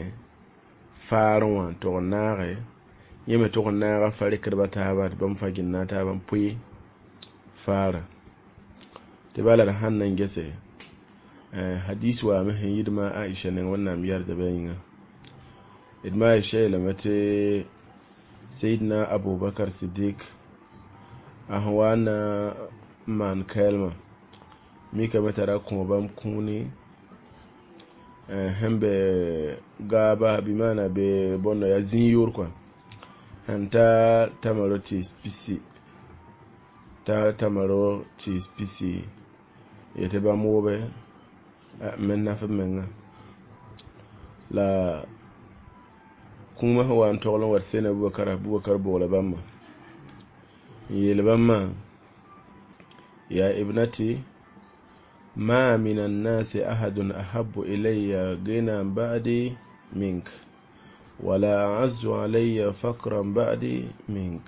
faarẽ wã n tog n naage yẽ me tog n naaga fa-rɩkdbã taaba tɩ bãmb fãa gɩ n naag taaba n pʋɩ faarã. Tɩ bala d sãn na n gese hadis waame sẽn yɩ d ma Aisha neng Wẽnnaam yɛrda bɩ a yĩnga. D ma Aisha yeelame tɩ Sayidna Abubakar Sidik a sẽn wa n na n maan kɛɛlmã mikame t'a ra kõ bãmb kũuni sẽn be gaaba bɩ maana be bõndo yaa zĩig yoor kɔa sẽn ta tamaro tɩɩs pisi ta tamaro tɩɩs pisi yetɩ bãmb wobe n me naf b menga la kũumã sẽn wa n togl n wa tɩ Seyidna Abubakar, Abubakar boola bãmba n yeel bãmbã ya ibnati ma min annasi ahadun ahabbu ilayya ghinan ba'di mink wala a'azzu alayya fakran ba'di mink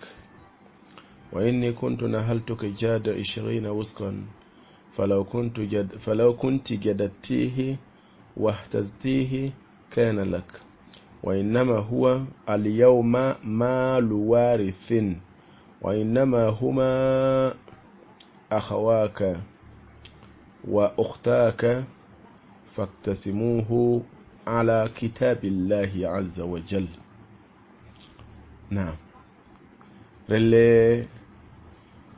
wa inni kuntu nahaltuka jada 20 wusqan فلو كنت جددتيه واهتزتيه كان لك وإنما هو اليوم مال وارث وإنما هما أخواك وأختاك فاقتسموه على كتاب الله عز وجل. نعم رلي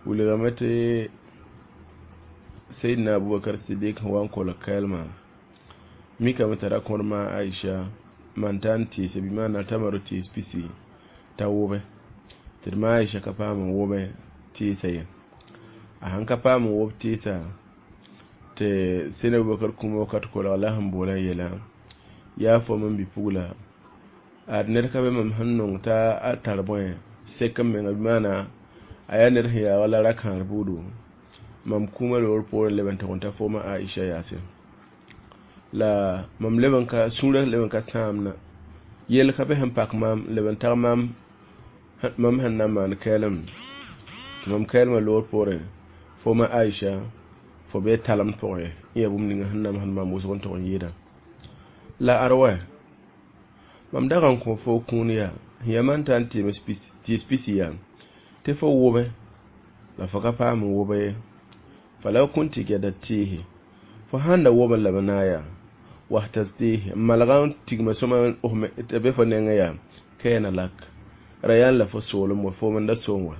ولغمتي سيدنا أبو بكر الصديق هو أنكو كلمة ميكا مترا كورما عائشة man tar n tɩɩse bɩ maana tamaro tɩɩs pisi t'a wʋbe tɩ d ma Aisha ka paam n wʋbe tɩɩsã ye. A sãn ka paam n wʋb tɩɩsã tɩ Seyidna Abubakar kũumã wakat kolg la sẽn boola n yeela yaa fo m bi-pugla ad ned ka be mam sẽn nong t'a a tar bõe sek n menga bɩ maana a yaa ned sẽn yaa wala ra-kãar buudu mam kũumã loor poorẽ leb n tog n ta fooma Aisha yaase la mam leb n ka sũurã leb n ka sãamna yell ka be sẽn pak maam leb n tag maam mam sẽn na n maan kɛɛlem tɩ mam kɛɛlmã loor poorẽ fooma Aisha fo bee talemd pʋgẽ n yaa bũmb ninga sẽn namsd maam wʋsg n tog n yɩɩda la ad wa mam dag n kõ fo kũun yaa sẽn yaa man tar n tɩɩs pisi yaa tɩ fo wʋbe la fo ka paam n wʋbe ye falaw kunti jadattihi fo sãn da wʋbẽ la b naag yaa wahtaztihi n malga n tigma sõma t'a be fo nengẽ yaa kaana lak ra yaa la fo soolem wa foom n da soom wa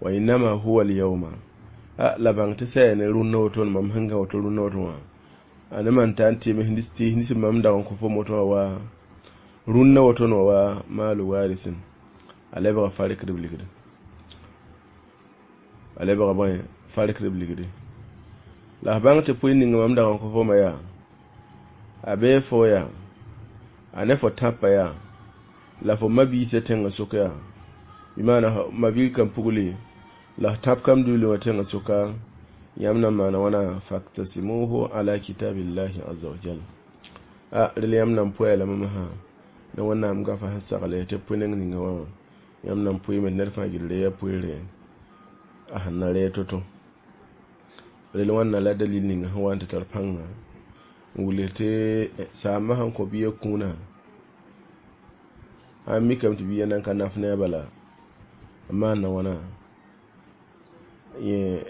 wa innama huwa alyawma a la bãng tɩ sã yaa ne rũnnã woto mam sẽn gã woto rũnnã woto wã a ne man tar n tɩɩm tɩɩs nins mam dag n kõ fo woto wã wa rũnnã woto wã wa maalu warisin a lebga farikdb ligdi a lebga bõe farikdb ligdi la f bãng tɩ pʋɩ ninga mam dag n kõ fomã yaa a bee fo yaa a ne fo tãpã yaa la fo ma-biisã tẽngã sʋk yaa bɩ maana ma-bil kam pugli la f tãp kam dũuli wã tẽngã sʋka yãmb na n maana wãna faktasimuhu ala kitabillahi aza wajal a rel yãmb na n pʋa lame masã ne Wẽnnaam gafa sẽn sagle tɩ pʋ neng ninga wã yãmb na n pʋɩme tɩ ned fãa gil reega pʋɩɩre a sẽn na reeg to-to rel wãnna la dalil ninga sẽn wa n tɩ tar pãnga n wilg tɩ saambã sẽn kõ bia kũunã a mikame tɩ bia nan ka naf ne a bala n maanda wãna yẽ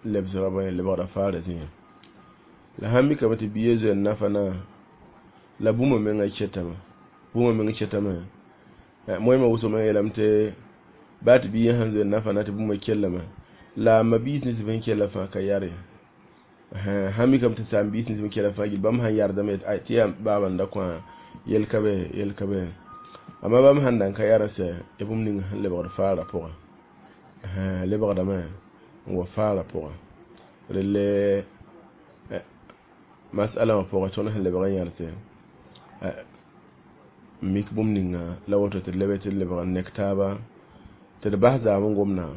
lebsga bõe lebgra faarã zĩigã la sãn mikame tɩ bia zoe n nafa na la bũmba menga ketame bũmba meng ketame moẽmã wʋsg me yeelame tɩ baa tɩ bia sãn zoe n nafa na tɩ bũmba kellame la ma-biis nins sẽn kella fãa ka yar ye sãn mikame tɩ saam-biis nins sẽn kella fãa gil bãmb sãn yardame tɩ yaa baaba n da kõ yel ka be yel ka be amma bãmb sãn da n ka yar n sɛ ya bũmb ning sẽn lebgd faarã pʋgã. Lebgdame n wa faarã pʋgã. Relle masala wã pʋgẽ, tõnd sẽn lebg n yãlse n mik bũmb ninga la woto tɩ d lebe tɩ d lebg n nek taaba tɩ d bas zaam n gomda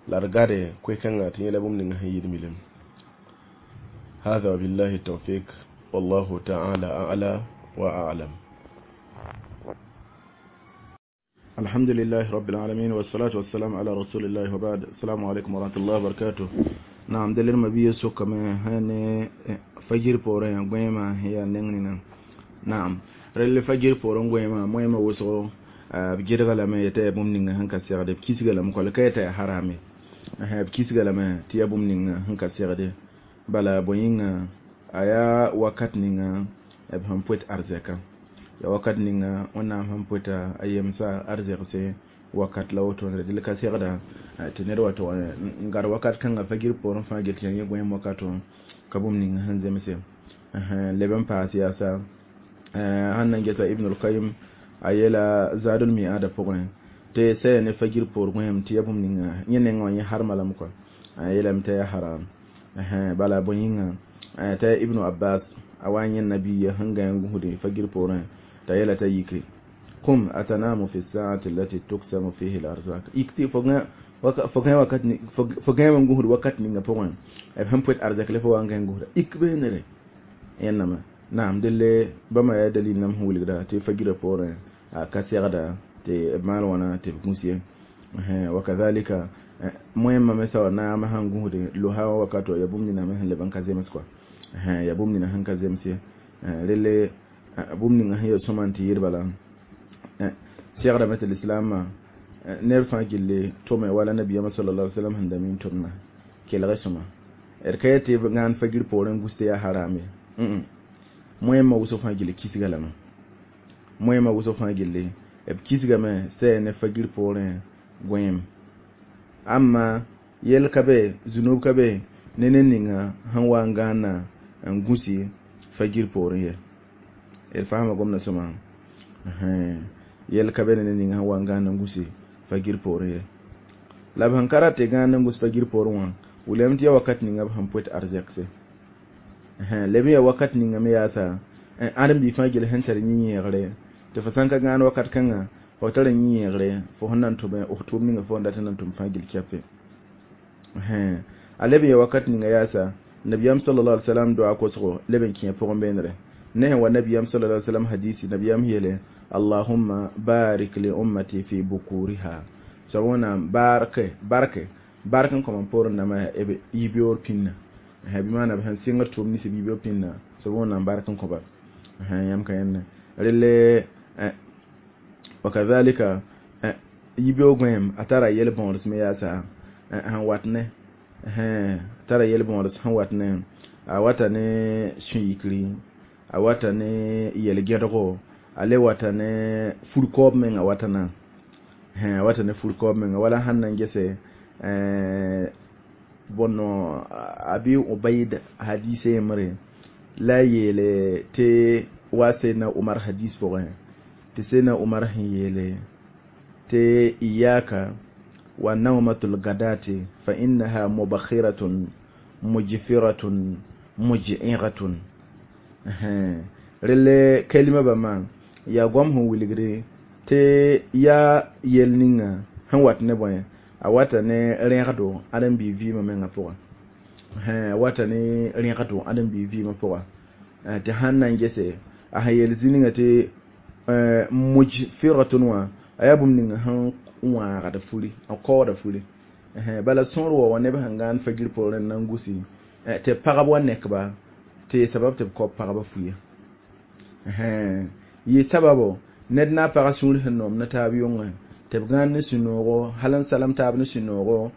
la d gade koe-kãngã tɩ yẽla bũmb ninga sẽn yɩɩd milim. هذا وبالله التوفيق، والله تعالى أعلى وأعلم. الحمد لله رب العالمين، والصلاة والسلام على رسول الله، وبعد. السلام عليكم ورحمة الله وبركاته. نعم، دليل ما بيه سوكا هني fajir poorẽ goẽema yaa neng nina. Naam, rel fajir poorẽ goẽema moẽmã wʋsgo b gɩdga lame yetɩ yaa bũmb ninga sẽn ka segde, b kisga lame kɔ la ka yetɩ yaa harame, b kisga lame tɩ yaa bũmb ninga sẽn ka segde. Bala bõe yĩnga, a yaa wakat ninga b sẽn poet arzɛka, ya wakat ninga Wẽnnaam sẽn poeta a yemsa arzɛgse wakat la woto. Dɩl ka segda tɩ ned wa tʋg n gad wakat kãnga fagir poorẽ fãa gel tɩ yaa yẽ goẽem wakato ka bũmb ning sẽn zemse leb n paas yaasa. Sãn na n gesa Ibn al-Qayim a yeela Zadul Mi'ada pʋgẽ tɩ saya ne fagir poor goẽem tɩ ya bũmb ninga yẽ nengã wã yẽ harma lame kɔa, a yeelame t'a yaa haram. Bala bõe yĩnga, t'a yaa Ibnu Abbas a wa n yẽ nabiya sẽn gã n gũsde fagir poorẽ t'a yeela t'a yike: "Kum atanamu fi saati allati tuksamu fihi al-arzak." Yik tɩ fo gã wakat fo gãem n gũsd wakat ninga pʋgẽ b sẽn poet arzɛk la fo wa n gã n gũsda, ik beenere yẽnname. Naam, delle bãmba yaa dalil nam sẽn wilgda tɩ fagirã poorẽ a ka segda tɩ b maan wãna tɩ b gũs ye. Wakadhalika moẽmã me sa wa naamã sãn gũsde losa wã wakato, ya bũmb nina me sẽn leb n ka zems kɔa, ya bũmb nina sẽn ka zems ye. Relle bũmb ninga sẽn ya sõma n tɩ yɩɩd bala segdame tɩ lislaamã neb fãa gilli tʋme wala nabiyaamã sallallahu alaihi wasallam sẽn da mi n tʋmna kelg sõma. D ka yetɩ gãan fagir poorẽ gus tɩ yaa haram ye. Moẽmã wʋsg fãa gilli kisga lame, moẽmã wʋsg fãa gilli b kisgame saya ne fagir poorẽ goẽem. Amma yel ka be, zunub ka be ne ned ninga sẽn wa n gãanna n gũsi fagir poorẽ ye. D faama gomdã sõma, yel ka be ne ned ninga sẽn wa n gãanna n gũsi fagir poorẽ ye. La b sẽn ka rat tɩ gãand n gũs fagir poorẽ wã wilame tɩ ya wakat ninga b sẽn poet arzɛkse leb n ya wakat ninga me yaasa ãdem-bi fãa gil sẽn tar yĩ-yẽegre tɩ fo sãn ka gãan wakat kãnga fo tara yĩ-yẽegre fo sẽn na n tʋme f tʋʋm ninga fo n dat n na n tʋm fãa gil kɛpe. A leb n ya wakat ninga yaasa nabiyaam sallallahu alaihi wasallam doa kosgo leb n kẽ pʋgẽ beenre ne sẽn wa nabiyaam sallallahu alaihi wasallam hadisi nabiyaam yeele: "Allahumma barik li ummati fi bukuriha." Soab Wẽnnaam barke barke bark n kõm n poorẽ dãmbã b yibeoor pĩnna, bɩ maana b sẽn sɩngd tʋʋm nins b yibeoor pĩnna. Soab Wẽnnaam bark n kõba yãmb ka yẽnde relle. Wakadhalika yibeoog goẽem a tara yel-bõods me yaasa sẽn wat ne tara yel-bõods sẽn wat ne a wata ne sũ-yikri, a wata ne yel-gẽdgo, a le wata ne fur-kaoob menga, wata na a wata ne fur-kaoob menga wala sãn na n gese bõnno Abi Ubaid hadise yembre la a yeele tɩ wa Seydna Umar hadis pʋgẽ tɩ Seydna Umar sẽn yeele tɩ: "Iyaka wa nawmatul gadati fa innaha mubakhiratun mujfiratun muj'iratun." Relle kalima bãmba yaa goam sẽn wilgre tɩ yaa yel ninga sẽn wat ne bõe, a wata ne rẽgdo ãdem-biig vɩɩmã mengã pʋgã, a wata ne rẽgdo ãdem-biig vɩɩmã pʋga. Tɩ sãn na n gese a sẽn yeel zĩ ninga tɩ mujfiratun wã a yaa bũmb ninga sẽn wãagd furi, n kaooda furi. Bala sõor wa wã neb sẽn gãan fagir poorẽ n na n gusi tɩ pagb wa nekba tɩ sabab tɩ b kao pagba fuya yɩ sababo ned na a pagã sũur sẽn noom ne taab yʋngẽ tɩ b gãan ne sũ-noogo hal n salem taab ne sũ-noogo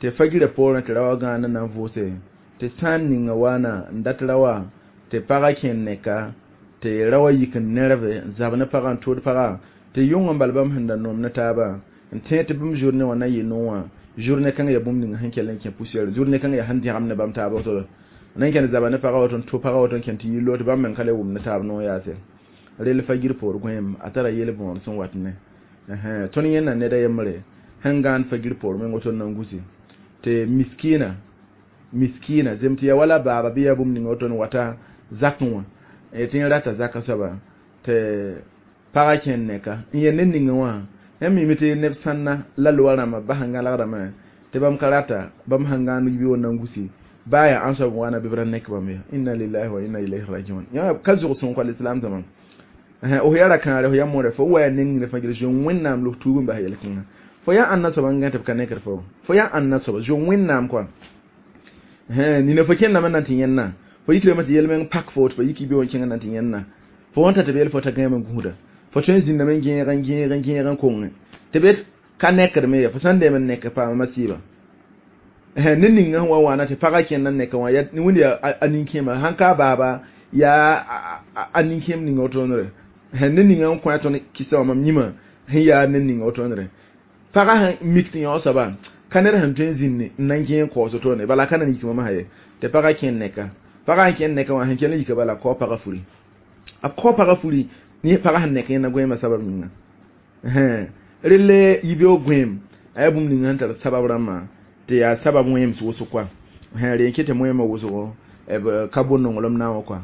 tɩ fagirã poorẽ tɩ ra wa gãan n na n vʋʋse tɩ sã n ninga waana n dat ra wa tɩ pagã kẽ neka tɩ ra wa yik n nerve n zab ne pagã n tʋʋd pagã tɩ yʋng n bal bãmb sẽn da noom ne taabã n tẽeg tɩ bũmb journée wã na yɩ no wã journée kãng ya bũmb ninga sẽn kell n kẽ poussière, journée kãng yaa sẽn dẽgem ne bãmb taab woto nan kẽnd zaba ne pagã woto n tʋ pagã woto n kẽnd tɩ yɩ loot bãmb meng ka le wʋm ne taab noog yaase. Rel fagir poor goẽem a tara yel-bõor sẽn wat ne tõnd yẽnda ned a yembre. sẽn gãand fagir poor meng woto n na n gusi tɩ miskina miskina zem tɩ ya wala baaba bɩ yaa bũmb ning woto n wata zakẽ wã tɩ yẽ rata zakã soaba tɩ pagã kẽnd neka n yel ned ninga wã yãmb mime tɩ neb sãnna la loa rãmbã bas n gãlgdame tɩ bãmb ka rata bãmb sãn gãand yibeoog n na n gusi baa yaa ãn soab n wa na bɩ b ra nek bãmb ye inna lillahi wa inna ilayhi rajiun yã ka zʋg sõn kɔ lislam zãma f yaa ra-kãare f yaa mõre fo wa yaa neng ne fãa zoe wẽnnaam la f tuub n bas yel-kãngã fo yaa ãnna soaba n gã tɩ b ka nekd fo fo yaa ãnna soaba zoe wẽnnaam kɔa nina fo kẽndame n na n tɩ yẽnna fo yikdame tɩ yel-meng pak fo tɩ fo yik yibeoog n kẽng n na n tɩ yẽnna fo wãn ta tɩ b yel fo t'a gãeme n gũuda fo tõe n zĩndame n gẽeg n gẽeg n gẽeg n konge tɩ b ka nekdme ye fo sã n deem n nek paama masiiba ned ninga sẽn wa waana tɩ pagã kẽnd n neka wã wẽnd yaa a nin-kẽema sãn ka a baaba yaa a nin-kẽem ninga wotoonre ned ninga n kõ a tõnd kɩsa wã mam yĩmã sẽn yaa ned ninga wotoonre pagã sẽn mik tɩ yão soaba ka ned sẽn tõe n zĩnd n na n gẽeg kaoos wotone bala ka na n yik mamsã ye tɩ pagã kẽnd neka pagã sẽn kẽnd neka wã sẽn kell n yika bala kao pagã furi a kao pagã furi ne pagã sẽn nek yẽnda gõeemã sabab yĩnga relle yibeoog gõeem a yaa bũmb ninga sẽn tar sabab rãmbã tɩ yaa sabab wẽems wʋsg kɔa rẽ n ket tɩ wẽemã wʋsgo b ka bo nonglem na wã kɔa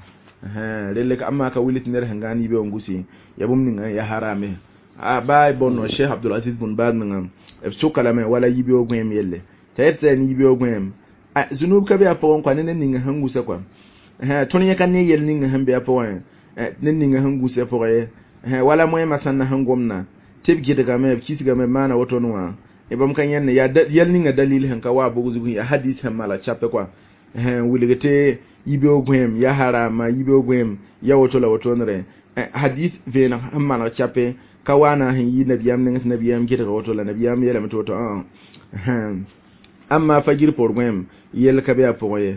relle amma ka wilg tɩ ned sẽn gãand yibeoog n gusi yaa bũmb ninga yaa harame a baa bõn Cheikh Abdul Aziz bun Baz menga b soka lame wala yibeoog gõeem yelle t'a yet t'a yaa yibeoog gõeem zunub ka be a pʋgẽ kɔa ne ned ninga sẽn gusa kɔa tõnd yẽ ka ne yel ninga sẽn be a pʋgẽ ned ninga sẽn gusa pʋgẽ ye wala moẽmã sãnna sẽn gomna tɩ b gɩdgame b kisgame b maana woto wã bãmb ka yẽnne yaa yɛl ninga dalil sẽn ka wa bʋg zugẽ yaa hadis sẽn mala chape kɔa n wilg tɩ yibeoog gõeem yaa harama yibeoog gõeem ya woto la wotonre hadis vẽeneg sẽn maneg chape ka wa na sẽn yi nabiyaam neng tɩ nabiyaam gɩdga woto la nabiyaam yeelame tɩ woto amma fagir poor gõeem yell ka be a pʋgẽ ye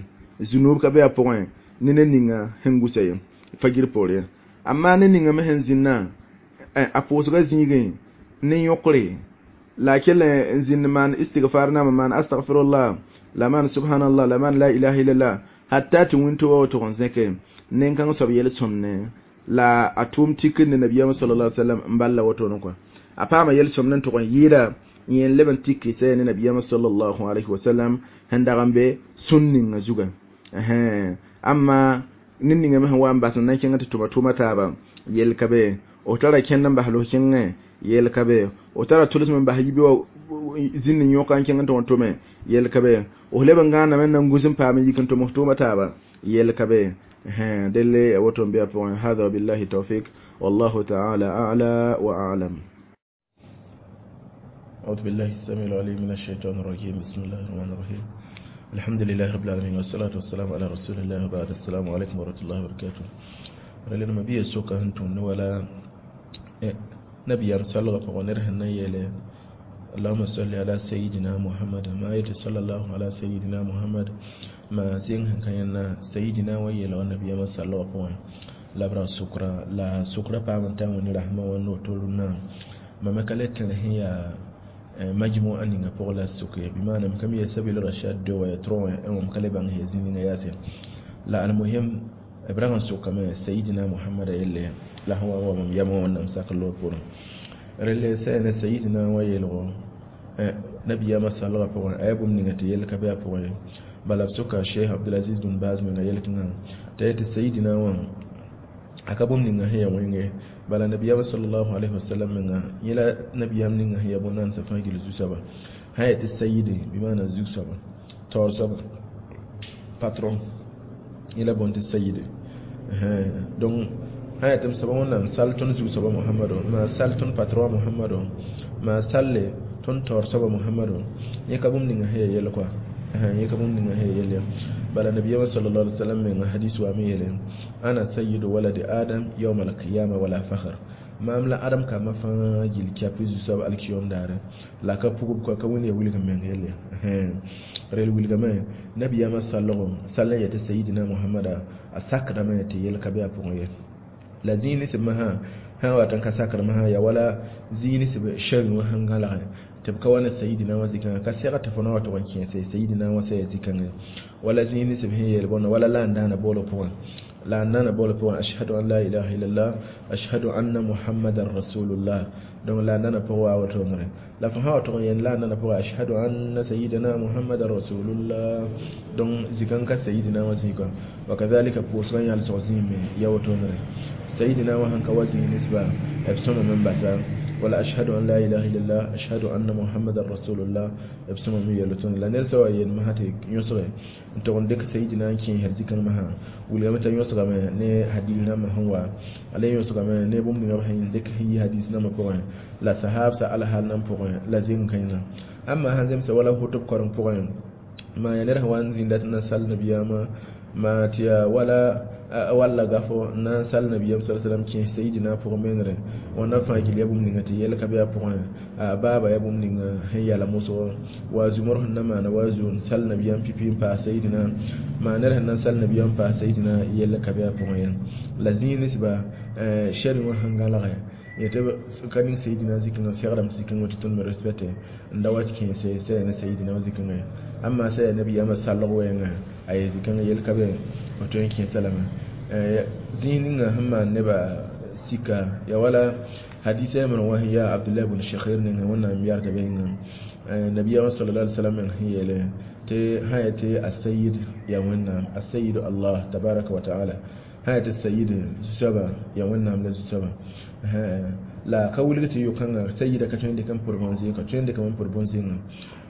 zunub ka be a pʋgẽ ne ned ninga sẽn gusa ye fagir poor ye amma ned ninga me sẽn zĩnnã a pʋʋsga zĩigẽ ne yõkre la kell n zĩnd maan istigfar namba maan astagfirullah la maan subhanallah la maan la ilaha illallah hatta tɩ wĩnto wa wotg n zẽke nen-kãng soab yel-sõmne la a tʋʋm tikr ne nabiyaam sallallahu alaihi wasallam n bal la wotone kɔa a paama yel-sõmd n tʋg n yɩɩda yẽ n leb n tik sɛ ne nabiyaam sallallahu alaihi wasallam sẽn dag n be sũn ninga zuga amma ned ninga me sẽn wa n bas n na n kẽng tɩ tʋma tʋʋma taaba yel ka be f tara kẽnd n bas los kẽngẽ yel ka be f tara tʋlsem n bas yibe wã zĩnd n yõka n kẽng n tʋg n tʋme yel ka be f leb n gãaname n na n gus n paam n yik n tʋm f tʋʋma taaba yel ka be delle woto n be a pʋgẽ hada billahi tawfik wallahu taala a'la wa a'lam. أعوذ بالله السميع العليم من الشيطان الرجيم بسم الله الرحمن الرحيم الحمد لله رب العالمين والصلاة والسلام على رسول الله وبعد السلام عليكم ورحمة الله وبركاته رلنا ما بيه سوكا هنتون ولا نبي صلى الله عليه وسلم اللهم صل على سيدنا محمد ما يت صلى الله على سيدنا محمد ما زين كان سيدنا ويلا والنبي صلى الله عليه وسلم لا برا سكرا لا سكرا بامن تاون رحمة ونوتولنا ما مكلت هي majmu'a ninga pʋgã la sʋk ye bɩ maana m ka mi ya sabil rashad do wa ya trõ wã m ka le bãng ya zĩ ninga yaase la almuhim b rag n sʋkame sayidina muhammada yelle la sẽn wa n wa mam yam wã wẽnnaam sak loor poorẽ relle sã ne sayidina wã yeelgo nabiyaamã salgã pʋgẽ a yaa bũmb ninga tɩ yell ka be a pʋgẽ ye bala b sʋka sheikh abdulaziz bun baz menga yel-kãngã t'a yetɩ sayidina wã a ka bũmb ninga sẽn yaa wẽnge bala nabiyam sallallahu alaihi wasallam menga yẽ la nabiyam ninga sẽn yaa bõn-nansã fãa gil zu-soaba sã yaa tɩ sayidi bɩ maana zu-soaba taoor soaba patron yẽ la bõn tɩ sayidi donc sã yaa tɩ m soaba wẽnnaam sal tõnd zu-soaba mohamado maa sal tõnd patron mohamado maa salle tõnd taoor soaba mohamado yẽ ka bũmb ninga sẽn yaa yɛl kɔa yẽ ka bũmb ninga sẽn yaa yɛl ya bala nabiyama sallallahu alaihi wasallam menga hadis wa mi yele ana sayyidu waladi adam yawm al-qiyamah wala fakhr mam la adam ka ma fãa gil kɛp zu-soab alkiyom daare la ka pugb ka wẽnd ya wilg meng yelle rel wilgame nabiyama sallgo sall n yetɩ sayidina muhammada a sakdame tɩ yel ka be a pʋgẽ ye la zĩig ne sẽb masã sã n wat n ka sakd masã yaa wala zĩig ne sẽb shɛrẽ wã sẽn gãlgẽ tɩ b ka wa ne sayidina wã zikãngã ka sɛg tɩ fo na wa tʋg n kẽese sayidina wã sã yaa zikãngã wala zĩig ne sẽb sẽn yeel bõna wala la n daana boolg pʋgẽ La nana bol pʋgẽ ashhadu an la ilaha illallah ashhadu anna muhammadan rasulullah. Donc la nana pʋgẽ wa woto la fo sã wa tʋg n yel la nana pʋgẽ ashhadu anna sayyidina muhammadan rasulullah. Donc zikãng ka sayidina wã zĩigã wa kadhalika pʋʋsgã yãlsg zĩime ya wotonere sayidina wã sẽn ka wa zĩig ninsba b sõmame n basa wala ashhadu an la ilaha illallah ashhadu anna muhammadan rasulullah b sõmame yel woto la ned sã wa yel masã tɩ yõsge n tʋg n dɩk sayidina n kẽesd zikãng masã wilgame t'a yõsgame ne hadis rãmbã sẽn wa a le yõsgame ne bũmb ninga b sẽn dɩk sẽn yi hadis nambã pʋgẽ la sahabsa alhal nan pʋgẽ la zĩng kãenga amma sãn zemsa wala hʋtb koreng pʋgẽ ma ya ned sẽn wa n zĩnda tɩ na sal nabiyaamã ma tɩ yaa wala walla gafo na n sal nabiyaam sa sallam kẽes sayidina pʋgẽ menere wãnda fãa gil ya bũmb ninga tɩ yɛl ka be a pʋgẽ a baaba ya bũmb ninga sẽn yala mosgo wa zumr sẽn na maana wa zu n sal nabiyaam pipi n paas sayidina maa ned sẽn na n sal nabiyaam n paas sayidina yɛl ka be a pʋgẽ ye la zĩig ninsba shɛr wã sẽn gãlge yetɩ ka ning sayidina zikãngã segdame tɩ zikãngã tɩ tõnd me respecte n da wa tɩ kẽese saya ne sayidina wã zikãngã amma saya nabiyaamã salg wɛɛngã a ye zikãngã yel ka be f tõe n kẽesa lame zĩig ninga sẽn maan nebã sika ya wala hadisa yamr wã sẽn yaa abdullah bn shakhir ninga wẽnnaam yarda be yĩnga nabiyaamã sallallahu alaihi wasallam sẽn yeele tɩ sã ya tɩ asayid ya wẽnnaam asayid allah tabaraka wa taala sã ya tɩ sayid zu-soaba ya wẽnnaam la zu-soaba la ka wilg tɩ yo-kãngã sayida ka tõe n dɩk n pʋd bõn-zẽng ka tõe n dɩkame n pʋd bõn-zẽngã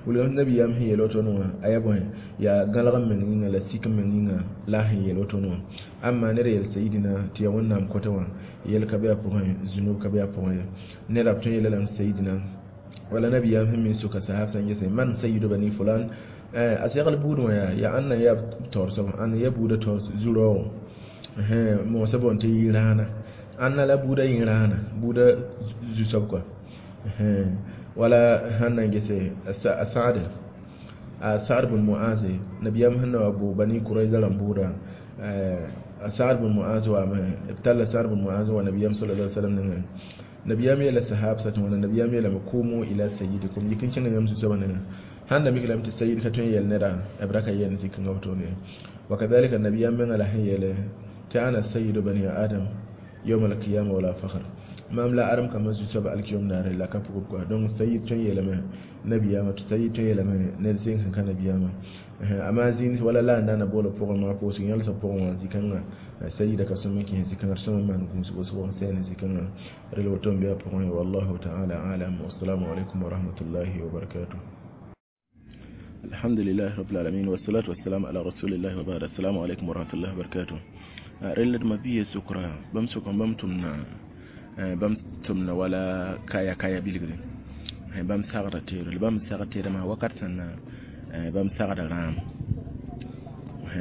wilgame nabiyaam sẽn yeel woto wã a yaa bõe yaa gãlg n meng yĩnga la sik n meng yĩnga la a sẽn yeel woto wã amma ned yel sayidina tɩ yaa wẽnnaam kota wã yel ka be a pʋgẽ zunub ka be a pʋgẽ ye ned b tõe n yeela lame sayidina wala nabiyaam sẽn me soka sahab sã n gese man sayidu bani fulan a segl buud wã yaa yaa ãnna yaa taoor soaba ãnna yaa buudã taoor zu-raoogo moosã boond tɩ yɩ-rãana ãnna la buudã yẽ-rãana buudã zu-soab kɔa wala sãn na n gese a Sa'd bn Mu'az nabiyaam sẽn na wa bʋ bani Kurayza rãmb buudã a Sa'd bn Mu'az waame b talla Sa'd bn Mu'az wa nabiyaam sallallahu alaihi wasallam nengẽ nabiyaam yeela sahabsa tɩ wãna nabiyaam yeelame kumu ila sayyidikum yik n kẽnga yãmb zu-soabã nengẽ sãn da mik lame tɩ sayid ka tõe n yɛl neda b ra ka yɛl zikãngã wotone wa kadhalika nabiyaam mengã la sẽn yeele tɩ ana sayyidu bani adam yawm al-qiyama wala fakhr mam la aram kama zu-soaba alkiyom daare la ka pʋgb kɔa donc sayid tõe n yeelame nabiyaamã tɩ sayid tõe n yeelame ned zẽng sẽn ka nabiyaamã amma zĩig wala la n daana boola pʋgẽ maa pʋʋsg yãlsg pʋgẽ wã zikãngã sayida ka sõm n kẽes zikãngã d sõm n maan gũus wʋsgo n sɛɛne zikãngã rel woto n be a pʋgẽ wallahu taala alam wassalamu alaikum warahmatullahi wabarakatuh. Alhamdulillahi rabbil alamin wassalatu wassalamu ala rasulillahi wa ba'd. Assalamu alaikum warahmatullahi wabarakatuh. Rel d mabiya sukra bãmb sʋka bãmb tʋmna wala kaya kaya bilgre bãmb sagda teere bãmb sagd teermã wakat sẽn na bãmb sagda rãam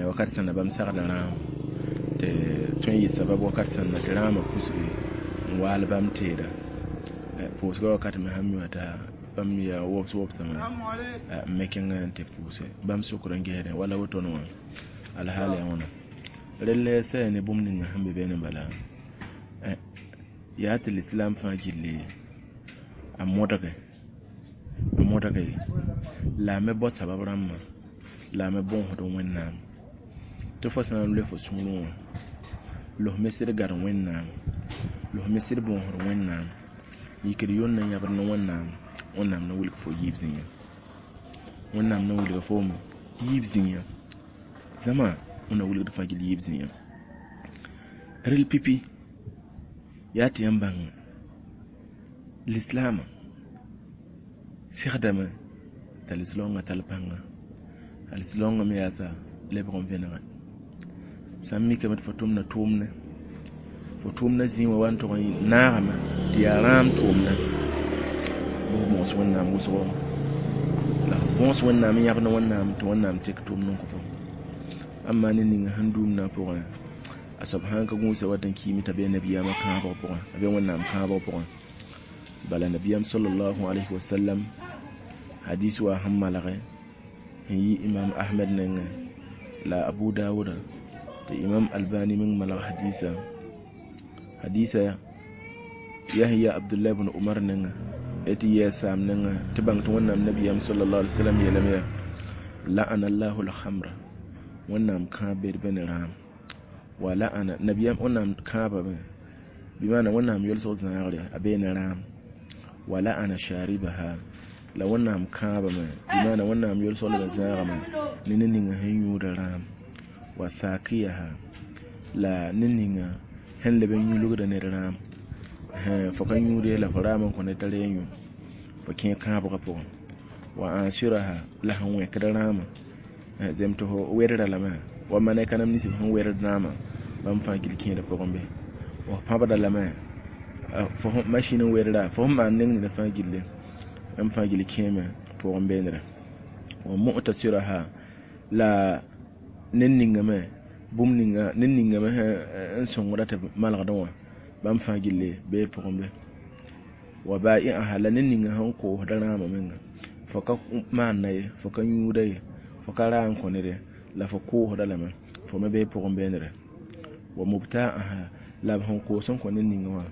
wakat sẽn na bãmb sagda rãam tɩ tõe n yɩ sabab wakat sẽn na tɩ rãamã pusge n waal bãmb teera pʋʋsgã wakat me sãn mi wã t'a bãmb yaa wobs wobsame n me kẽngã n tɩ pʋʋse bãmb sʋkr n gesdẽ wala wotone wã alhaal yaa wãna rel saya ne bũmb ninga sẽn be beene bala yaa tɩ lislam fãa gilli a modge la a me bao sabab rãmbã la a me bõosd wẽnnaam tɩ fo sã n loe fo sũurẽ wã losme sɩd gad wẽnnaam losme sɩd bõosd wẽnnaam yikd yond na yãbd ne wẽnnaam wẽnnaam na wilg fo yiib zĩigã wẽnnaam na wilga foom yiib zĩigã zãma wẽnna wilgd fãa gill yiib zĩigã rel pipi yaa tɩ yãmb bãng lislaamã segdame t'a lislaoongã tall pãnga a lislaoongã me yaasa lebg n vẽnege sã n mikame tɩ fo tʋmda tʋʋmdẽ fo tʋʋmdã zĩig wã wa n tʋg n naagame tɩ yaa rãam tʋʋmdã bɩ f bõos wẽnnaam wʋsgo la f bõos wẽnnaam n yãbd wẽnnaam tɩ wẽnnaam tek tʋʋmd n kõ fo amma ne ninga sẽn duumdã pʋgẽ a soab sãn ka gũusa wat n kiime t'a be nabiyaamã kãabg pʋgẽ a be wẽnnaam kãabg pʋgẽ bala nabiyaam sallallahu alayhi wa sallam hadis wa sẽn malge n yi imam ahmed nengẽ la abu dawuda tɩ imam albani meng malg hadisa hadisa yahya abdullah ibn umar nengẽ tɩ yɛɛ saam nengẽ tɩ bãng tɩ wẽnnaam nabiyaam sallallahu alayhi wa sallam yeelame yaa la'ana allahu alhamra wẽnnaam kãab bed be ne rãam Wa la'ana nabiyam wẽnnaam kãabame bɩ maana wẽnnaam yolsg zãagre a bee ne rãam. Wa la'ana sharibaha la wẽnnaam kãabame bɩ maana wẽnnaam yolsg leb n zãagame ne ned ninga sẽn yũuda rãam. Wa sakiyaha la ned ninga sẽn leb n yũlgda ned rãam. Fo ka yũud la fo raam n kõ ned t'a ree yũ fo kẽ kãabgã pʋgẽ. Wa ansiraha la sẽn wẽkd rãamã zem tɩ fo wedra lame wa malɛka neb nins sẽn wedd rãamã bãmb fãa gil kẽeda pʋgẽ be. Fo pãbda lame fo masĩn n wedra fo sẽn maan neng nina fãa gilli bãmb fãa gil kẽeme pʋgẽ beendrã. Wa mu'tasiraha la ned ninga me bũmb ninga ned ninga me sẽn sõngda tɩ b malgdẽ wã bãmb fãa gilli bee pʋgẽ be. Wa ba'i'aha la ned ninga sẽn koosda rãamã menga fo ka maanda ye fo ka yũuda ye fo ka raa n kõ ned ye la fo koosda lame fo me bee pʋgẽ beendrã. Wa mubta'aha la b sẽn koos n kõ ned ninga wã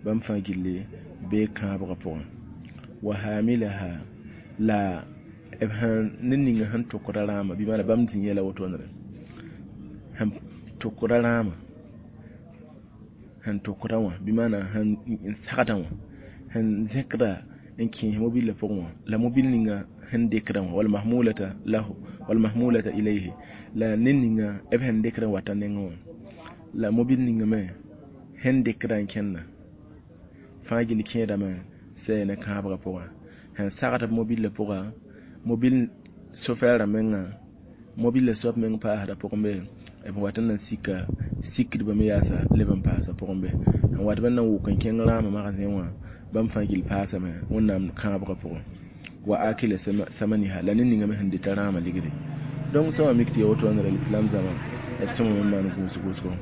bãmb fãa gilli bee kãabgã pʋgẽ. Wa hamilaha la b sẽn ned ninga sẽn tʋkda rãamã bɩ maana bãmb zĩ yɛla wotone sẽn tʋkda rãamã sẽn tʋkda wã bɩ maana sẽn sagda wã sẽn zẽkda n kẽes mobila pʋgẽ wã la mobil ninga sẽn dɩkda wã wal mahmulata lahu wal mahmulata ilayhi la ned ninga b sẽn dɩkd n wata nengẽ wã la mobil ninga me sẽn dɩkda n kẽnda fãa gil kẽedame sɛ ne kãabgã pʋgã. Sẽn sagd mobila pʋga mobil sofɛɛrã menga mobila soab meng paasda pʋgẽ be b wat n na sika sikdbã me yaasa leb n paasa pʋgẽ be. N wat b n na wʋk n kẽng rãamã magazẽ wã bãmb fãa gil paasame wẽnnaam kãabgã pʋgẽ. Wa akila samaniha la ned ninga me sẽn dɩta rãamã ligdi. Donc sã wa mik tɩ ya woto wã lislam zãma d sõma me maan gũus-gũusgo.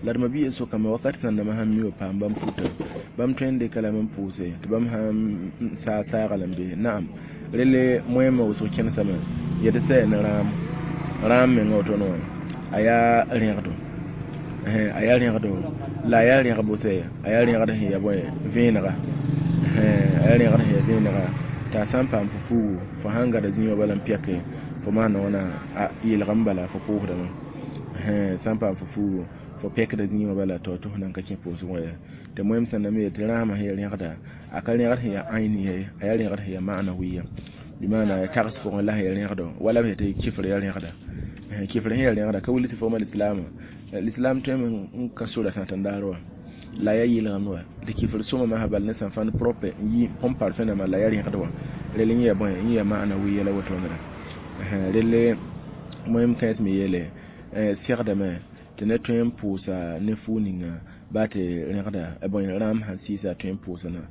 La d mabia sokame wakat sẽn nama sãn mi wa paam bãmb futa bãmb tõe n dɩka lame n pʋʋse tɩ bãmb sãn saa saaga lame be. Naam rele moẽmã wʋsg kẽnesame yetɩ sɛ ne rãam rãam menga wotone wã a yaa rẽgdo a yaa rẽgdo la a yaa rẽgbo sɛ a yaa rẽgd sẽn ya bõe vẽenega a yaa rẽgd sẽn ya vẽenega tɩ a sã n paam fo fuugu fo sãn gada zĩ wã bala n pɛke fo maana wãna a yeelgame bala fo koosdame sã n paam fo fuugu fo pɛkda zĩ wã bala tɩ fo nan ka kẽ pʋʋsg wã ye. Tɩ moẽm sẽn na me tɩ rãamã sẽn ya rẽgda a ka rẽgd sẽn ya ãyni ye a yaa rẽgd sẽn ya ma'nawiya bɩ maana tags pʋgẽ la sẽn ya rẽgdo wala b tɩ kifr ya rẽgda kifr sẽn ya rẽgda ka wilg tɩ fo ma lislaamã lislaam tõeme n ka sora sãten daar wã la yaa yɩlgem wã tɩ kifr sõma masã bal ne sã fãn propre n yi põn parfum nãmba la yaa rẽgd wã rel n ya bõe n ya ma'nawiya la wotone rel moẽm kãens me yeele segdame tɩ ned tõe n pʋʋsa ne fuu ninga baa tɩ rẽgda bõe rãam sãn sɩɩsa tõe n pʋʋsna.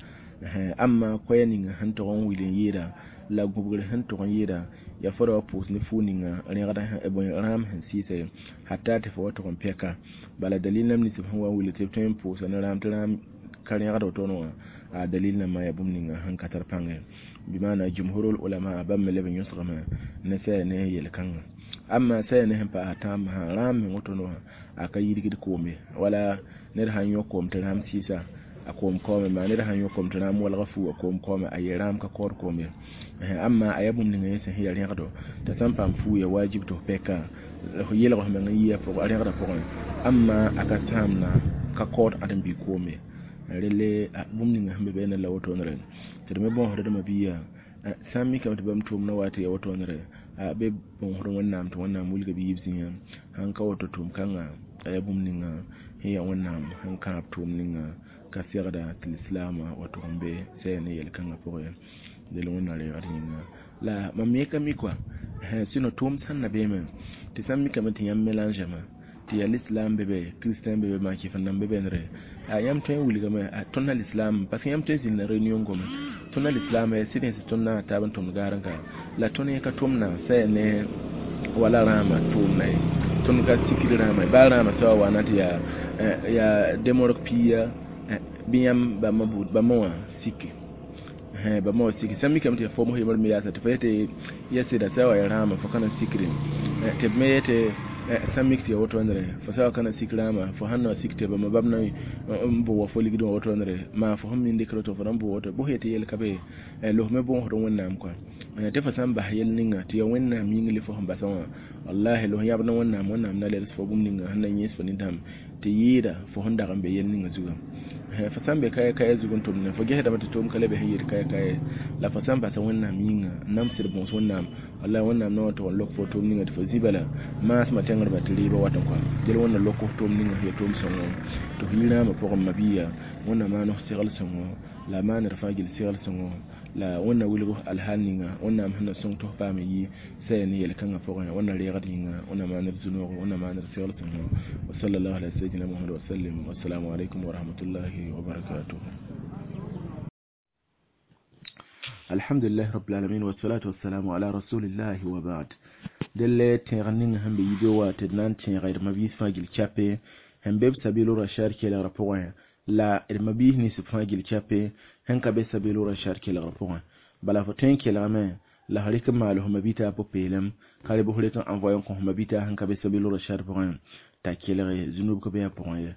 Amma koɛɛ ninga sẽn tog n wil n yɩɩda la gũbgr sẽn tog n yɩɩda yaa fo ra wa pʋʋs ne fuu ninga rẽgda bõe rãam sẽn sɩɩsa ye hatta tɩ fo wa tog n pɛka. Bala dalil nam nins b sẽn wa n wilg tɩ b tõe n pʋʋsa ne rãam tɩ rãam ka rẽgd wotone wã a dalil nãmbã yaa bũmb ninga sẽn ka tar pãnge bɩ maana jumhurul ulama bãmb me leb n yõsgame ne sɛ ne yel-kãngã. Amma sɛ ne sẽn paas tãambã sã rãam meng wotone wã a ka yirgd koome wala ned sãn yõ koom tɩ rãam sɩɩsa a koom kaoome maa ned sãn yõ koom tɩ rãam walga fuu a koom kaoome a yee rãam ka kaood koom ye. Amma a yaa bũmb ninga yẽ sẽn yaa rẽgdo t'a sã n paam fuu ya wajib tɩ f pɛka f yelg f meng n yɩ a rẽgdã pʋgẽ amma a ka sãamna ka kaood ãdem-bi koom ye. Relle bũmb ninga sẽn be beene la wotonere tɩ d me bõosd d mabia sã n mikame tɩ bãmb tʋʋmdã wa tɩ ya wotonere be bõosd wẽnnaam tɩ wẽnnaam wilga bɩ yiib zĩigã sãn ka woto tʋʋm kãngã a yaa bũmb ninga sẽn yaa wẽnnaam sẽn kãab tʋʋm ninga ka segda tɩ lislaamã wa tʋg n be sɛ ne yel-kãngã pʋgẽ del wẽnnaam reegd yĩnga la mam me ka mi kɔa sɩno tʋʋm sãn na beeme tɩ sãn mikame tɩ yãmb mélangeme tɩ yaa l'islam bebe christian bebe maa-kɩf nan be bẽnere a yãmb tõe n wilgame tõnd na l'islam parce que yãmb tõe n zĩnd réunion gome tõnd na l'islam ya sɩd tɩ tõnd na taab n tõmd gaar n ka la tõnd yẽ ka tʋmdã sɛ ne wala rãamã tʋʋmda ye tõnd ka sikd rãamã ye baa rãamã soaba wana tɩ yaa demorg piiya bɩ yãmb bãmba wã sike bãmba wã sike sã n mikame tɩ yaa fom yembr me yaasa tɩ fa yetɩ ya sɩda sã wa ya rãamã fo ka na n sikre tɩ b me yetɩ Sã n mik tɩ ya woto wãndre fo sa wa ka na sik rãama fo sãn na wa sik tɩ bãmba bab na n bʋ wa fo ligdẽ wã woto wãndre maa fo sẽn min dɩkr woto fo na n bʋ woto bõs yetɩ yel ka be losme bõosd Wẽnnaam kɔa tɩ fo sã n bas yel ninga tɩ ya Wẽnnaam yĩng le fo sẽn basã wã wallahi los yãbd ne Wẽnnaam Wẽnnaam na leds fo bũmb ninga sẽn na yẽes fo nintãm tɩ yɩɩda fo sẽn dag n be yel ninga zugã fo sã n be kaya kaya zug n tʋmdẽ fo gesdame tɩ tʋʋm ka le be sẽn yet kaya kaya la fo sã n basa Wẽnnaam yĩnga n namsd bõos Wẽnnaam wallahi Wẽnnaam na wa tʋg n lok fo tʋʋm ninga tɩ fo zĩ bala maasmã tẽngdbã tɩ rɩɩbã wat n kɔa del Wẽnna lok f tʋʋm ninga sẽn ya tʋʋm sõngo tɩ f yi rãamã pʋgẽ mabiya Wẽnna maan f segl sõngo la a maan d fãa gill segl sõngo la Wẽnna wilg f alhaal ninga Wẽnnaam sẽn na sõng tɩ f paam yi saya ne yel-kãngã pʋgẽ Wẽnna reegd yĩnga Wẽnna maan d zu-noogo Wẽnna maan d segl sõngo wa sallallahu ala sayyidina Muhammad wa sallim wassalamu alaikum wa rahmatullahi wa barakatuh. Alhamdulillah rabbil alamin wassalatu wassalamu ala rasulillahi wa ba'd. Delle tẽeg ning sẽn be yibe wa tɩ d na n tẽega d mabiis fãa gil chape sẽn be b sabilu rashad kelgrã pʋgẽ la d mabiis nins fãa gil chape sẽn ka be sabilu rashad kelgrã pʋgẽ bala fo tõe n kelgame la f rɩk n maal f mabita pʋ-peelem ka rɩ bɩ f rɩk n envoye n kõ f mabita sẽn ka be sabilu rashad pʋgẽ t'a kelge zũnub ka be a pʋgẽ ye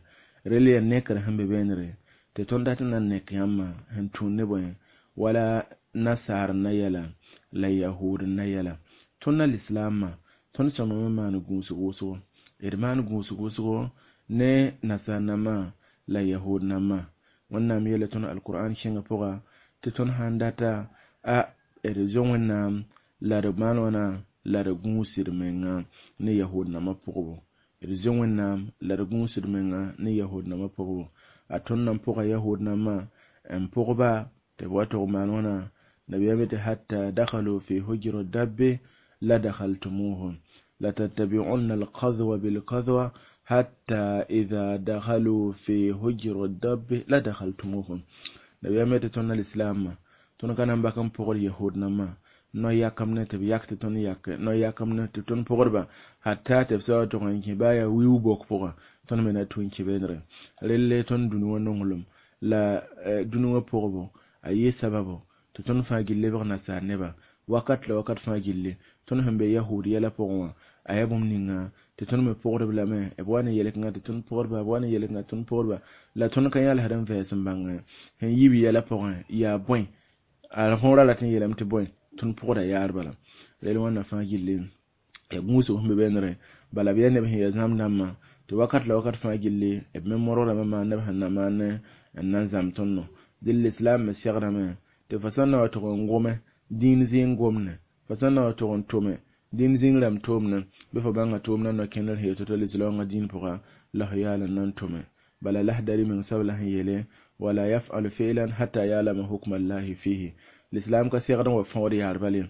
rel yaa nekr sẽn be beenre tɩ tõnd dat n na n nek yãmbã sẽn tũud ne bõe wala nasaar na yɛla la yahood na yɛla tõnd na lislaamã tõnd sõmame maan gũusg wʋsgo d maan gũusg wʋsgo ne nasaar-nãmbã la yahood nãmbã Wẽnnaam yeela tõnd alkur'an kẽngã pʋga tɩ tõnd sãn data a d zo Wẽnnaam la d maan wãna la d gũusd menga ne yahood nãmbã pʋgbo d zo Wẽnnaam la d gũusd menga ne yahood nãmbã pʋgbo a tõnd nan pʋga yahood nãmbã n pʋgba tɩ b wa tʋg maan wãna nabiyaam tɩ hatta dakhalu fi hujri dabbi la dakhaltumuhum latattabi'unna alqadwa bilqadwa hatta idha dakhalu fi hujri dabbi la dakhaltumuhum nabiyaam tɩ tõnd na lislaamã tõnd ka na n bak n pʋgd yahood nãmbã no yakam ne tɩ b yak tɩ tõnd yak no yakam ne tɩ tõnd pʋgdba hatta tɩ b sa wa tʋg n kẽ baa yaa wiu bok pʋgã tõnd me na tũ n kẽ beenre relle tõnd dũni wã nonglem la dũni wã pʋgbo a yɩ sababo tɩ tõnd fãa gill lebg nasaar neba wakat la wakat fãa gilli tõnd sẽn be yahood yɛla pʋgẽ wã a yaa bũmb ninga tɩ tõnd me pʋgdb lame b wa ne yɛl-kãngã tɩ tõnd pʋgdba b wa ne yɛl-kãngã tõnd pʋgdba la tõnd ka yãlsd n vɛɛs n bãng sẽn yib yɛla pʋgẽ yaa bõe a võora rat n yeelame tɩ bõe tõnd pʋgda yaar bala rel wãnna fãa gilli ya gũusg sẽn be beenre bala b yaa neb sẽn yaa zãmb dãmbã tɩ wakat la wakat fãa gilli b me modgdame maan neb sẽn na maan n na n zãmb tõndo dɩl lislaam me segdame tɩ fo sã n na wa tʋg n gome dĩin zĩig gomne fo sã n na wa tʋg n tome dĩin zĩig rãmb toomne bɩ fo bãnga tʋʋm na no-kẽndr sẽn yet tɩ lislaoongã dĩin pʋga la fo yaal n na n tome bala lahdari meng sabla sẽn yeele wala yaf'alu fi'lan hatta ya'lama hukma allahi fihi lislaam ka segd n wa fõod yaar bale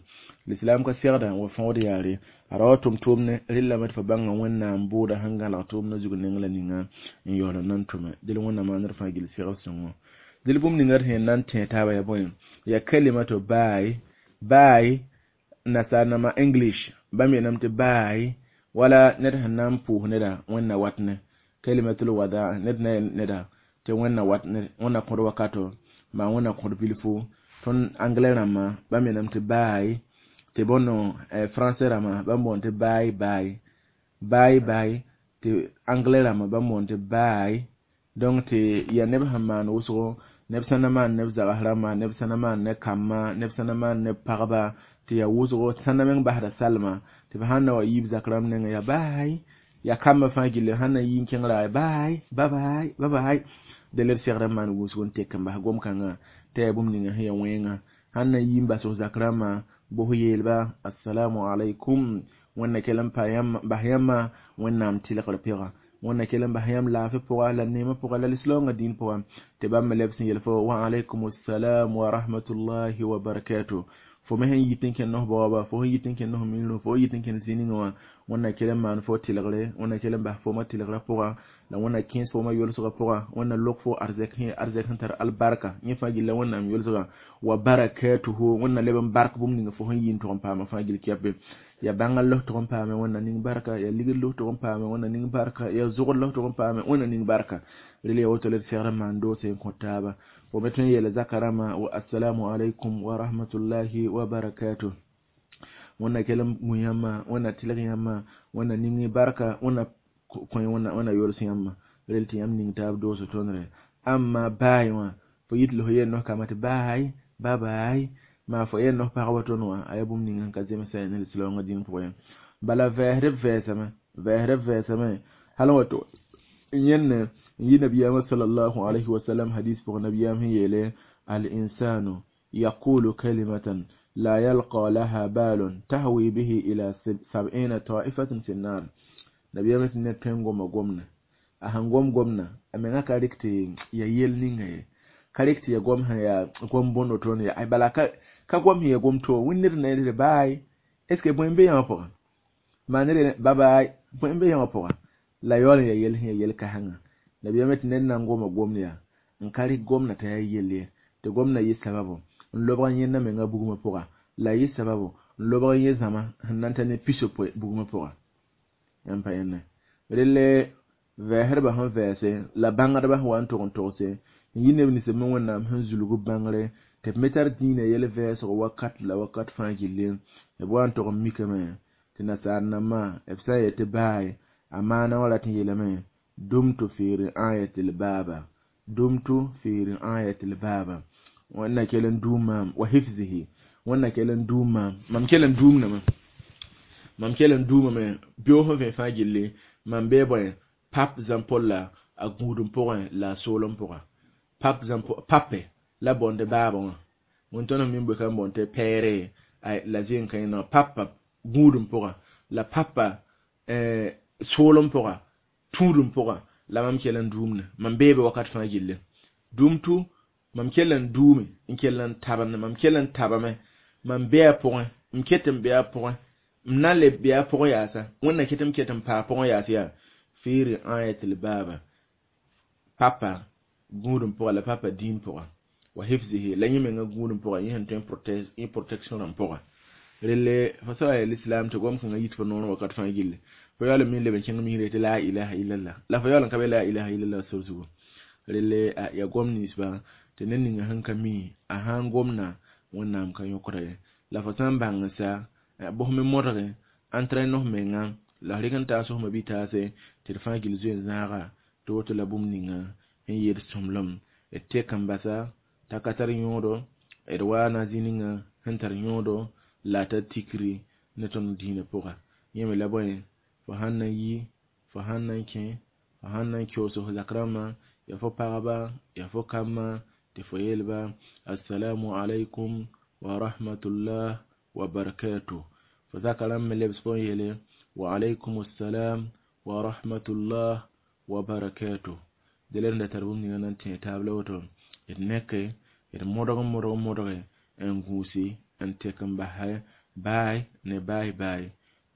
lislaam ka segda n wa fõod yaare a ra wa tʋm tʋʋmne rɩllame tɩ fo bãnga Wẽnnaam bʋʋda sẽn gãlg tʋʋmdã zug neng la ninga n yaool n na n tʋme dɩl Wẽnnaam maandr fãa gill segl sõngo dɩl bũmb ninga d sẽn na n tẽ taaba yaa bõe yaa kalimato baay baay nasaar nãmbã English bãmb yeelame tɩ baay wala ned sẽn na n pʋʋs neda Wẽnna wat ne kalimatul wada ned na yel neda tɩ Wẽnna wat ne Wẽnna kõd wakato maa Wẽnna kõd bilfu tõnd anglais rãmbã bãmb yeelame tɩ baay tɩ bõndo français rãmbã bãmb boond tɩ baay baay baay baay tɩ anglais rãmbã bãmb boond tɩ baay donc tɩ yaa neb sẽn maan wʋsgo neb sã na maan neb zags rãmba neb sã na maan ne kambã neb sã na maan ne pagba tɩ yaa wʋsgo sã na meng basda salma tɩ b sãn na wa yiib zak rãmb nengẽ yaa baay yaa kambã fãa gilli sãn na yi n kẽngra baay ba-baay ba-baay dẽ la d segd n maan wʋsgo n tek n bas gom-kãngã tɩ yaa bũmb ninga sẽn yaa wẽnga sãn na yi n bas f zak rãmbã bos yeelba assalamu alaikum Wẽnna kell n bas yãmbã Wẽnnaam tɩlgr pɩga Wẽnna kell n bas yãmb laafɩ pʋga la neemã pʋga la lislaoongã dĩin pʋga tɩ bãmb me leb sẽn yel fo wa alaykum assalam wa rahmatullahi wa barakatuh fo me sẽn yit n kẽnd f baoaba fo sẽn yit n kẽnd f miirẽ fo yit n kẽnd zĩ-ningã wã Wẽnna kell n maan fo tɩlgre Wẽnna kell n bas foomã tɩlgrã pʋga la Wẽnna kẽes foomã yolsgã pʋga Wẽnna lok fo arzɛk sẽn tar albarka yẽ fãa gilla Wẽnnaam yolsgã wa barakatuhu Wẽnna leb n bark bũmb ninga fo sẽn yi n tʋg n paama fãa gill kɛpe yaa bãnga los tʋg n paame Wẽnna ning barka yaa ligd los tʋg n paame Wẽnna ning barka yaa zʋgd los tʋg n paame Wẽnna ning barka rel yaa woto la d segd n maan doose n kõ taaba fo me tõe n yeela zaka rãmbã wa assalamu alaikum wa rahmatullahi wa barakatuh. Wẽnna kell n gũ yãmbã, Wẽnna tɩlg yãmbã, Wẽnna ning barka, Wẽnna kõ Wẽnna yols yãmbã. Rel tɩ yãmb ning taab doosg tõndre. Amma baay wã, fo yit la fo yel nos kambã tɩ baay, ba-baay, maa fo yel nos pagba tõnd wã, a yaa bũmb ning sẽn ka zemsa ne lislaoongã dĩn pʋgẽ ye. Bala vɛɛsdb vɛɛsame, vɛɛsdb vɛɛsame, hal n wa tɩ yẽnne n yi nabiyaamã sallallahu alayhi wa sallam hadis pʋgẽ nabiyaam sẽn yeele al-insanu yaqulu kalimatan la yalqa laha balun tahwi bihi ila 70 ta'ifatin fi an-nar. Nabiyaamã tɩ ned tõe n goma gomdã, a sẽn gom gomdã, a menga ka rɩk tɩ ya yel ninga ye, ka rɩk tɩ ya gom sẽn yaa gom bõndo tõnd ya, bala ka gom sẽn ya gom to wẽnd ned na yel tɩ baay, est ce que bõe n be yãmb pʋgẽ? Maa ned ba-baay, bõe n be yãmb pʋgẽ? La yaool n ya yel sẽn ya yel kãsengã. Nabiyaamã tɩ ned na n goma gomd yaa n ka rɩk gomdã t'a yaa yell ye, tɩ gomdã yɩ sababu n lobg n yẽnda menga bugmã pʋga, la yɩ sababu n lobg n yẽ zãma sẽn na n ta ne pisopoe bugmã pʋga. Yãmb pa yẽnde. Relle vɛɛsdbã sẽn vɛɛse la bãngdbã sẽn wa n tog n togse n yi neb nins b me Wẽnnaam sẽn zulg b bãngre tɩ b me tar dĩinã yɛl vɛɛsgo wakat la wakat fãa gilli, b wa n tog n mikame tɩ nasaar nambã b sã n yet tɩ baay, a maana wã rat n yeelame dumtu fi ri'ayatil baaba, dumtu fi ri'ayatil baaba, Wẽnna kell n duum maam wa hifzihi, Wẽnna kell n duum maam, mam kell n duumdame, mam kell n duumame beoog sẽn vẽ fãa gilli, mam bee bõe pap zãm-polla a gũudum pʋgẽ la a soolem pʋga. Pap zãm pape la bõnd baabã wã, wẽn tõnd sẽn mi n boe ka n bõnd tɩ pɛɛre la zẽn kãe papa gũudum pʋga la papa soolem pʋga tũudum pʋga la mam kell n duumne, mam beebe wakat fãa gilli. Dumtu mam kell n duume, n kell n tabende, mam kell n tabame, mam be a pʋgẽ, m ket n be a pʋgẽ, m na n le be a pʋgẽ yaasa, Wẽnna ket m ket n paa pʋgẽ yaas yaa fi ri'ayatil baaba, papa gũudum pʋga la papa dĩin pʋga wa hifzihi la yẽ menga gũudum pʋga, yẽ sẽn tõe n protection rãmb pʋga. Relle fo sã wa yaa lislaam tɩ gom kãngã yit fo noorẽ wakat fãa gilli, fo yaool n mi n leb n kẽng misre tɩ la ilaha illallah, la fo yaool n ka be la ilaha illallah sor zugu. Relle yaa gom ninsba tɩ ned ninga sẽn ka mi a sã n gomda Wẽnnaam ka yõkda ye. La fo sã n bãng sa bos me modge n nos menga la f rɩk n taas f ma-bi-taase tɩ d fãa gill zoe n zãaga tɩ woto la bũmb ninga n yeel sõmblem d tek n basa t'a ka tar yõodo, d waana zĩ ninga sẽn tar yõodo la a tar tikri ne tõnd dĩinã pʋga. Yẽ me la bõe fo sãn na n yi, fo sãn na n kẽ, fo sãn na n keoos f zak rãmbã, yaa fo pagba, yaa fo kambã, tɩ fo yeelba assalamu alaikum wa rahmatullah wa barakatuh. Fo zaka rãmb me lebs fo n yeele wa alaykum assalam wa rahmatullah wa barakatuh. Dẽla d da tar bũmb ninga na n tẽ taab la woto d neke d modg n modg n modge n gũusi n tek n basa baay ne baay baay.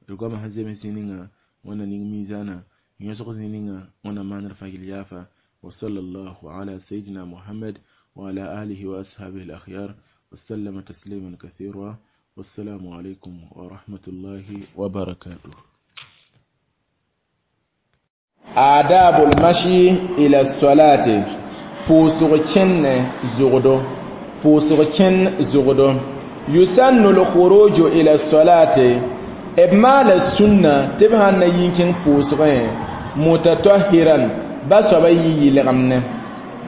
D goamã sẽn zems zĩ ninga Wẽnna ning miizaanã, yõsg zĩ ninga Wẽnna maand d fãa gill yaafa. Wa sallallahu ala sayyidina Muhammad wa ala alihi wa ashabihi al-akhyar wa sallama tasliman kathira. Wassalamu alaikum wa rahmatullahi wa barakatuh. Adabul mashi ila salati, pʋʋsg kẽnne zʋgdo, pʋʋsg kẽn zʋgdo. Yusannu l-khuruju ila salati, b maala sũnna tɩ b sãn na yi n kẽng pʋʋsgẽ mutatahiran, ba soaba yɩ yɩlgemne,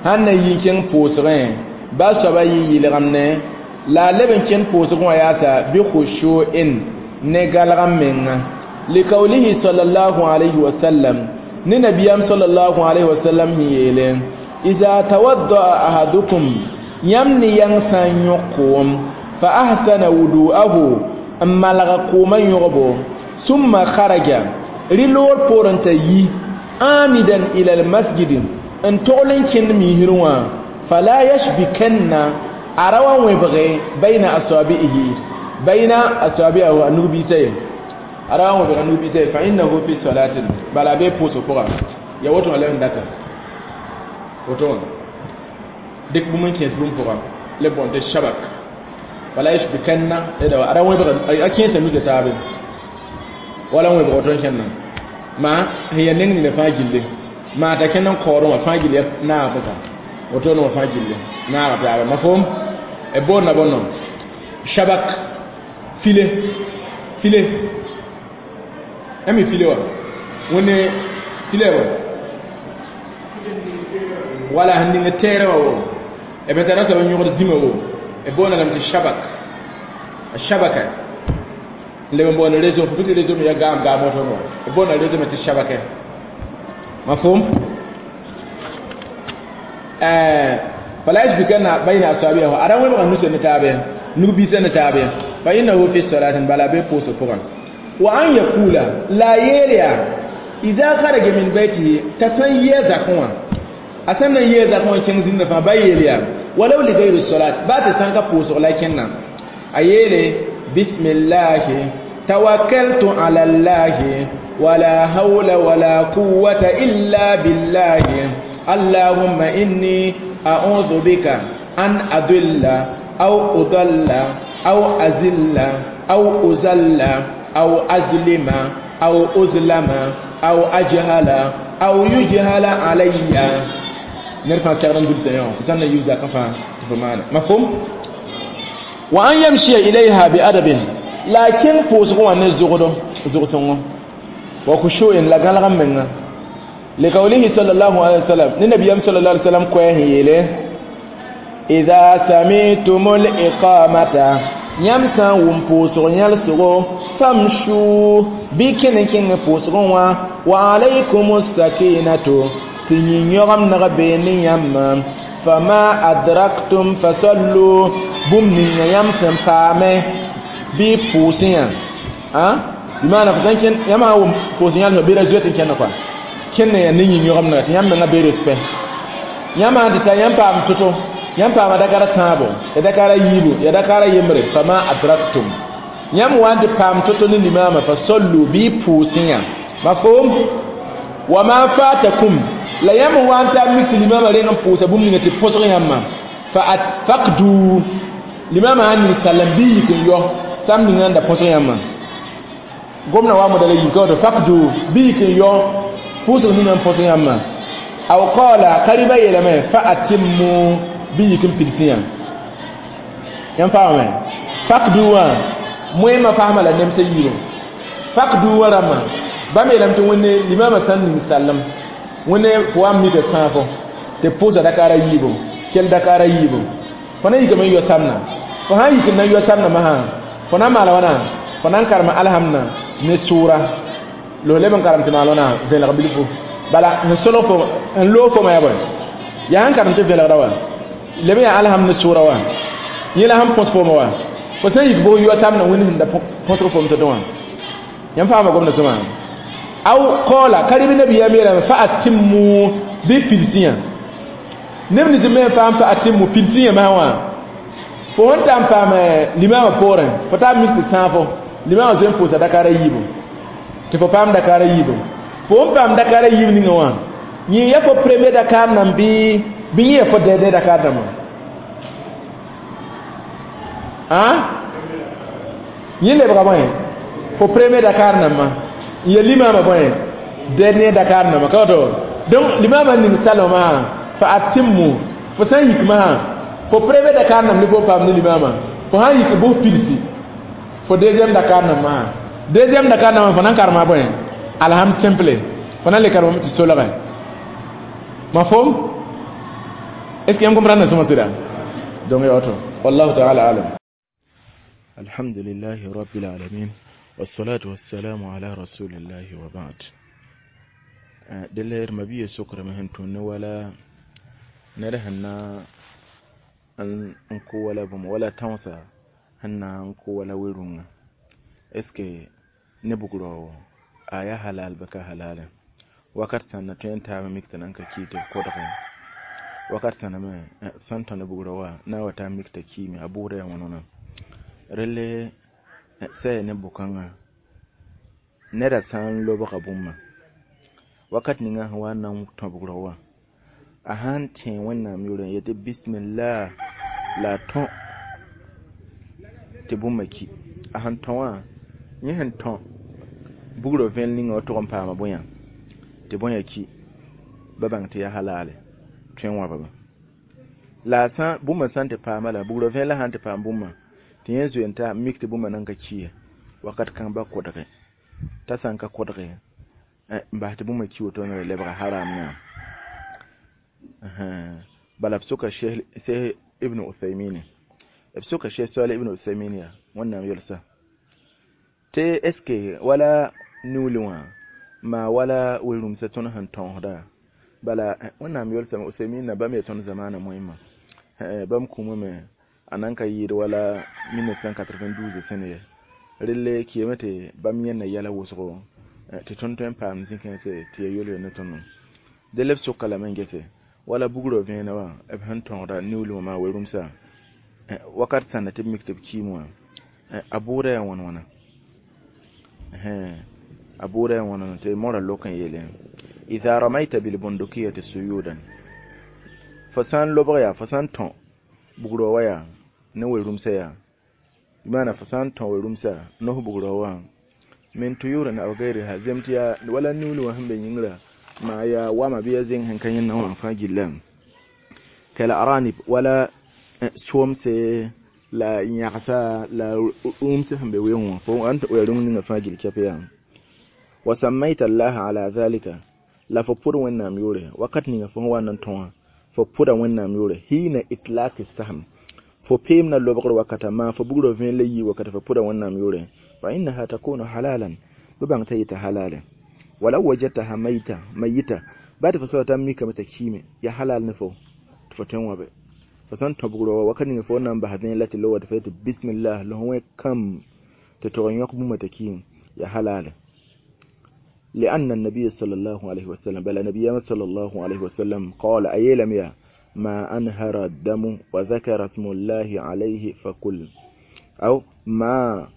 sãn na yi n kẽng pʋʋsgẽ ba soaba yɩ yɩlgemne, la a leb n kẽnd pʋʋsgẽ wã yaasa bi khushu'in ne galg n menga. Likawlihi sallallahu alayhi wa sallam, ne nabiyam sallallahu alayhi wa sallam sẽn yeele iza tawadda'a ahadukum, yãmb ne yãng sã n yõk koom fa ahsana wudu'ahu, n malga koomã yõgbo, summa kharaja, rɩ loor poorẽ t'a yi amidan ila almasjid, n togl n kẽnd misrẽ wã, fala yashbikanna, a ra wa wẽbge bayna asabi'ihi, bayna asabi'ahu a nug-biisã ye, a ra wa wẽbg a nug-biisã ye, fa innahu fi salatin, bala a bee pʋʋsg pʋga. Ya woto wã la n data woto wã dɩk bũmb n kẽes bũmb pʋga la b boond tɩ shabak, fala yashbikanna a ra wẽbg a kẽesa nusa taabe wala n wẽbg woto n kẽnna maa sẽn yaa neng nina fãa gilli maa t'a kẽnd n kaoodẽ wã fãa gill naag pʋsa woto ne wã fãa gilli naaga taaba. Mafhum b boonda bõndo shabak file File yãmb file wã wẽnde file wa wala sẽn ning tɛɛrã wã wo b tara soab n yõgd zĩmã wo b boonda lame tɩ shabak a shabaka n leb n boond réseau fo tɩ réseau me yaa gaam gaam woto wã b boonda réseau me tɩ shabaka mafhum fala yashbikanna bayna asabihi ara wẽbga nusã ne taab nug-biisã ne taab fa innahu fi salatin bala be pʋʋsg pʋgã wa an yaqula la yeelya idha kharaja min baytihi t'a sãn yɩ zakẽ wã a sẽn na n yee zakẽ wã kẽng zĩndã fãa ba yeel yaa walaw li gayri salat baa tɩ sãn ka pʋʋsg la kẽnna a yeele bismillahi tawakkaltu ala llahi wala hawla wala quwwata illa billahi allahumma inni a'udhu bika an adilla aw udalla aw azilla aw uzalla aw azlima aw uzlama aw ajhala aw yujhala alayya ned fãa segd n dulsã yã sãn na yiu zakã fãa tɩ fo maana mafhum wa an yamshiya ilayha bi adabin la a kẽng pʋʋsgẽ wã ne zogdo zog-sõngo wa khushu'in la gãlg n menga liqawlihi sallallahu alaihi wasallam ne nabiyam sallallahu alaihi wasallam koɛɛ sẽn yeele idha sami'tumul iqamata yãmb sã n wʋm pʋʋsg yãlsgo famshu bɩ kẽn n kẽng pʋʋsgẽ wã wa alaykum sakinatu tɩ yĩn-yõgemdg bee ne yãmba fama adraktum fasallu bũmb ninga yãmb sẽn paame bɩ pʋʋsẽ yã bɩ maana fo sãn kẽn yãmb sã n wʋm pʋʋs yãlsg bɩ ra zoet n kẽnda kɔa kẽnd ya ne yĩn-yõgemdga tɩ yãmb menga bee respect yãmb sãn tɩ ta yãmb paam to-to yãmb paama dakara tãabo ya dakara yiibu ya dakara yembre fama adraktum yãmb wa n tɩ paam to-to ne limaamã fasallu bɩ pʋʋsẽ yã mafhum wa ma fatakum la yãmb wa n taa mik tɩ limaamã reng n pʋʋsa bũmb ninga tɩ põsg yãmbã fa faqdu limaamã sãn ning sallam bɩ yik n yao sam ninga n da põsg yãmbã gomdã wa moda la yik ka woto faqdu bɩ yik n yao pʋʋsg ninga n põsg yãmbã aw qala ka rɩba yeelame fa atimmu bɩ yik n pidsẽ yã yãmb paamame faqdu wã moẽmã fasma la nemsã yiibã faqdu wã rãmbã bãmb yeelame tɩ wẽnde limaamã sãn ning sallem wẽnde fo wa n mika sãafo tɩ pʋʋsa dakaara yiibu kell dakaara yiibu fo na yikame n yao samna fo sãn yik n na n yao samna masã fo na n maala wãna fo na n karema alhamdã ne sʋʋra la fo leb n karem tɩ maal wãna vẽlg bilfu bala n solg fo n loog foma yaa bõe yaa sẽn karem tɩ vẽlgda wã leb n yaa alhamd ne sʋʋra wã yẽ la sẽn põs fooma wã fo sẽn yik bʋg yao samna wẽnd sẽn da põsg fom to-to wã yãmb faama gomda sõma aw qala karibi nabiyam yeelame fa atimmu bɩ pidsẽ yã neb nins me n paam fa atimmu pidsẽ yã masã wã fo sẽn ta n paam limaamã poorẽ fo taa mik tɩ sãafo limaamã zoe n pʋʋsa dakaara yiibu tɩ fo paam dakaara yiibu fo n paam dakaara yiib ninga wã yẽ ya fo premier dakaar nam bɩ yẽ ya fo dɛdɛ dakaar dãmbã yẽ lebga bõe fo premier dakaar nambã n ya limaamã bõe dernier dakaar nambã ka woto donc limaamã n ning salmã fa atimmu fo sãn yik masã fo premier dakaar nam ne fo paam ne limaamã fo sãn yik bʋs pidsi fo deuxième dakaar nam masã deuxième dakaar nambã fo na n karema bõe alhamd simple fo na n le karemame tɩ solgẽ mafhum est ce que yãmb comprendre sõma sɩda donc ya woto wallahu taala alam alhamdulillahi rabbil alamin wassalatu wassalamu ala rasulillahi wa ba'd delle mabiya sokrame sẽn tũn ne wala ned sẽn na n kʋ wala bũmb wala tãoosa sẽn na n kʋ wala we-rũngã est ce que ne bugrao a yaa halal bɩ ka halale wakat sãn na tõe n taabã mik tɩ nan ka ki tɩ b kodge wakat sãna me sãn tõ ne bugrã wã na n wa taa mik t'a kiime a bʋʋda yaa wãn-wãna relle sã yaa ne bʋ-kãngã neda sã n lobga bũmba wakat ninga sẽn wa n na n tõ bugrã wã a sãn tẽ wẽnnaam yʋʋr n yetɩ bismillah la a tõ tɩ bũmba ki a sẽn tõ wã yẽ sẽn tõ bugrã vẽel ninga wa tʋg n paama bõe tɩ bõe ki ba bãng tɩ yaa halale tõe n wãbame la a sã bũmba sã n tɩ paama la bugrã vẽel la sã n tɩ paam bũmba tɩ yẽ zoe n ta mik tɩ bũmba nan ka ki ye Wakat kãng ba kodge t'a sã n ka kodge n bas tɩ bũmba ki woto ne lebga haram na bala b soka Sheikh Ibn Uthaymin b soka Sheikh Salih Ibn Uthaymin ya wẽnnaam yelsa tɩ est ce que wala niuulẽ wã maa wala we-rũmsã tõnd sẽn tõosda bala wẽnnaam yelsame Uthaymin na bãmb yaa tõnd zamaana moẽmã bãmb kũumame a nan ka yɩɩd wala 1992 sẽn ye relle kɩame tɩ bãmb yẽnna yɛla wʋsgo tɩ tõnd tõe n paam zĩ-kãense tɩ ya yol ne tõndo dẽ la b soka lame n gese wala bugrã vẽenã wã b sẽn tõogda niuulẽ wã maa we-rũmsã wakat sãnda tɩ b mik tɩ b kiim wã a bʋʋda yaa wãn wãna a bʋʋda yaa wãn wãna tɩ mora lok n yeele idha ramaita bilbundukiyati suyudan fo sã n lobg yaa fo sã n tõ bugrã wã yaa ne we-rũmsã yaa bɩ fo sã n tõ we-rũmsã nos bugrã wã min tuyurin aw gayriha zem tɩ yaa wala niuulẽ wã sẽn be yĩngrã maa yaa wama bɩ ya zẽng sẽn ka yẽnna wã fãa gilla kal aranib wala soomse la yãgsa la rũmse sẽn be weoong wã fo n ya rũng ninga fãa gill kɛp yaa wa sammayta allaha ala dhalika la fo pʋd wẽnnaam yʋʋre wakat ninga fo sẽn wa n na n tõ wã fo pʋda wẽnnaam yʋʋre hina itlaki sahm fo peem na lobgr wakata maa fo bugrã vẽen la yii wakata fo pʋda wẽnnaam yʋʋre fa innaha takunu halalan bɩ bãng t'a yeta halale walaw wajadtaha mayita mayita ba tɩ fo soaba t'a mikame t'a kiime ya halal ne fo tɩ fo tõe n wãbe fo sã n tõ bugrã wa wakat ninga fo na n bas vẽen la tɩ lowa tɩ fo yetɩ bismillah la fo wẽ kam tɩ tog n yõk bũmba t'a kiime ya halale لأن النبي صلى الله عليه وسلم بل النبي صلى الله عليه وسلم قال أيلم يا ما أنهر الدم وذكر اسم الله عليه فكل أو ما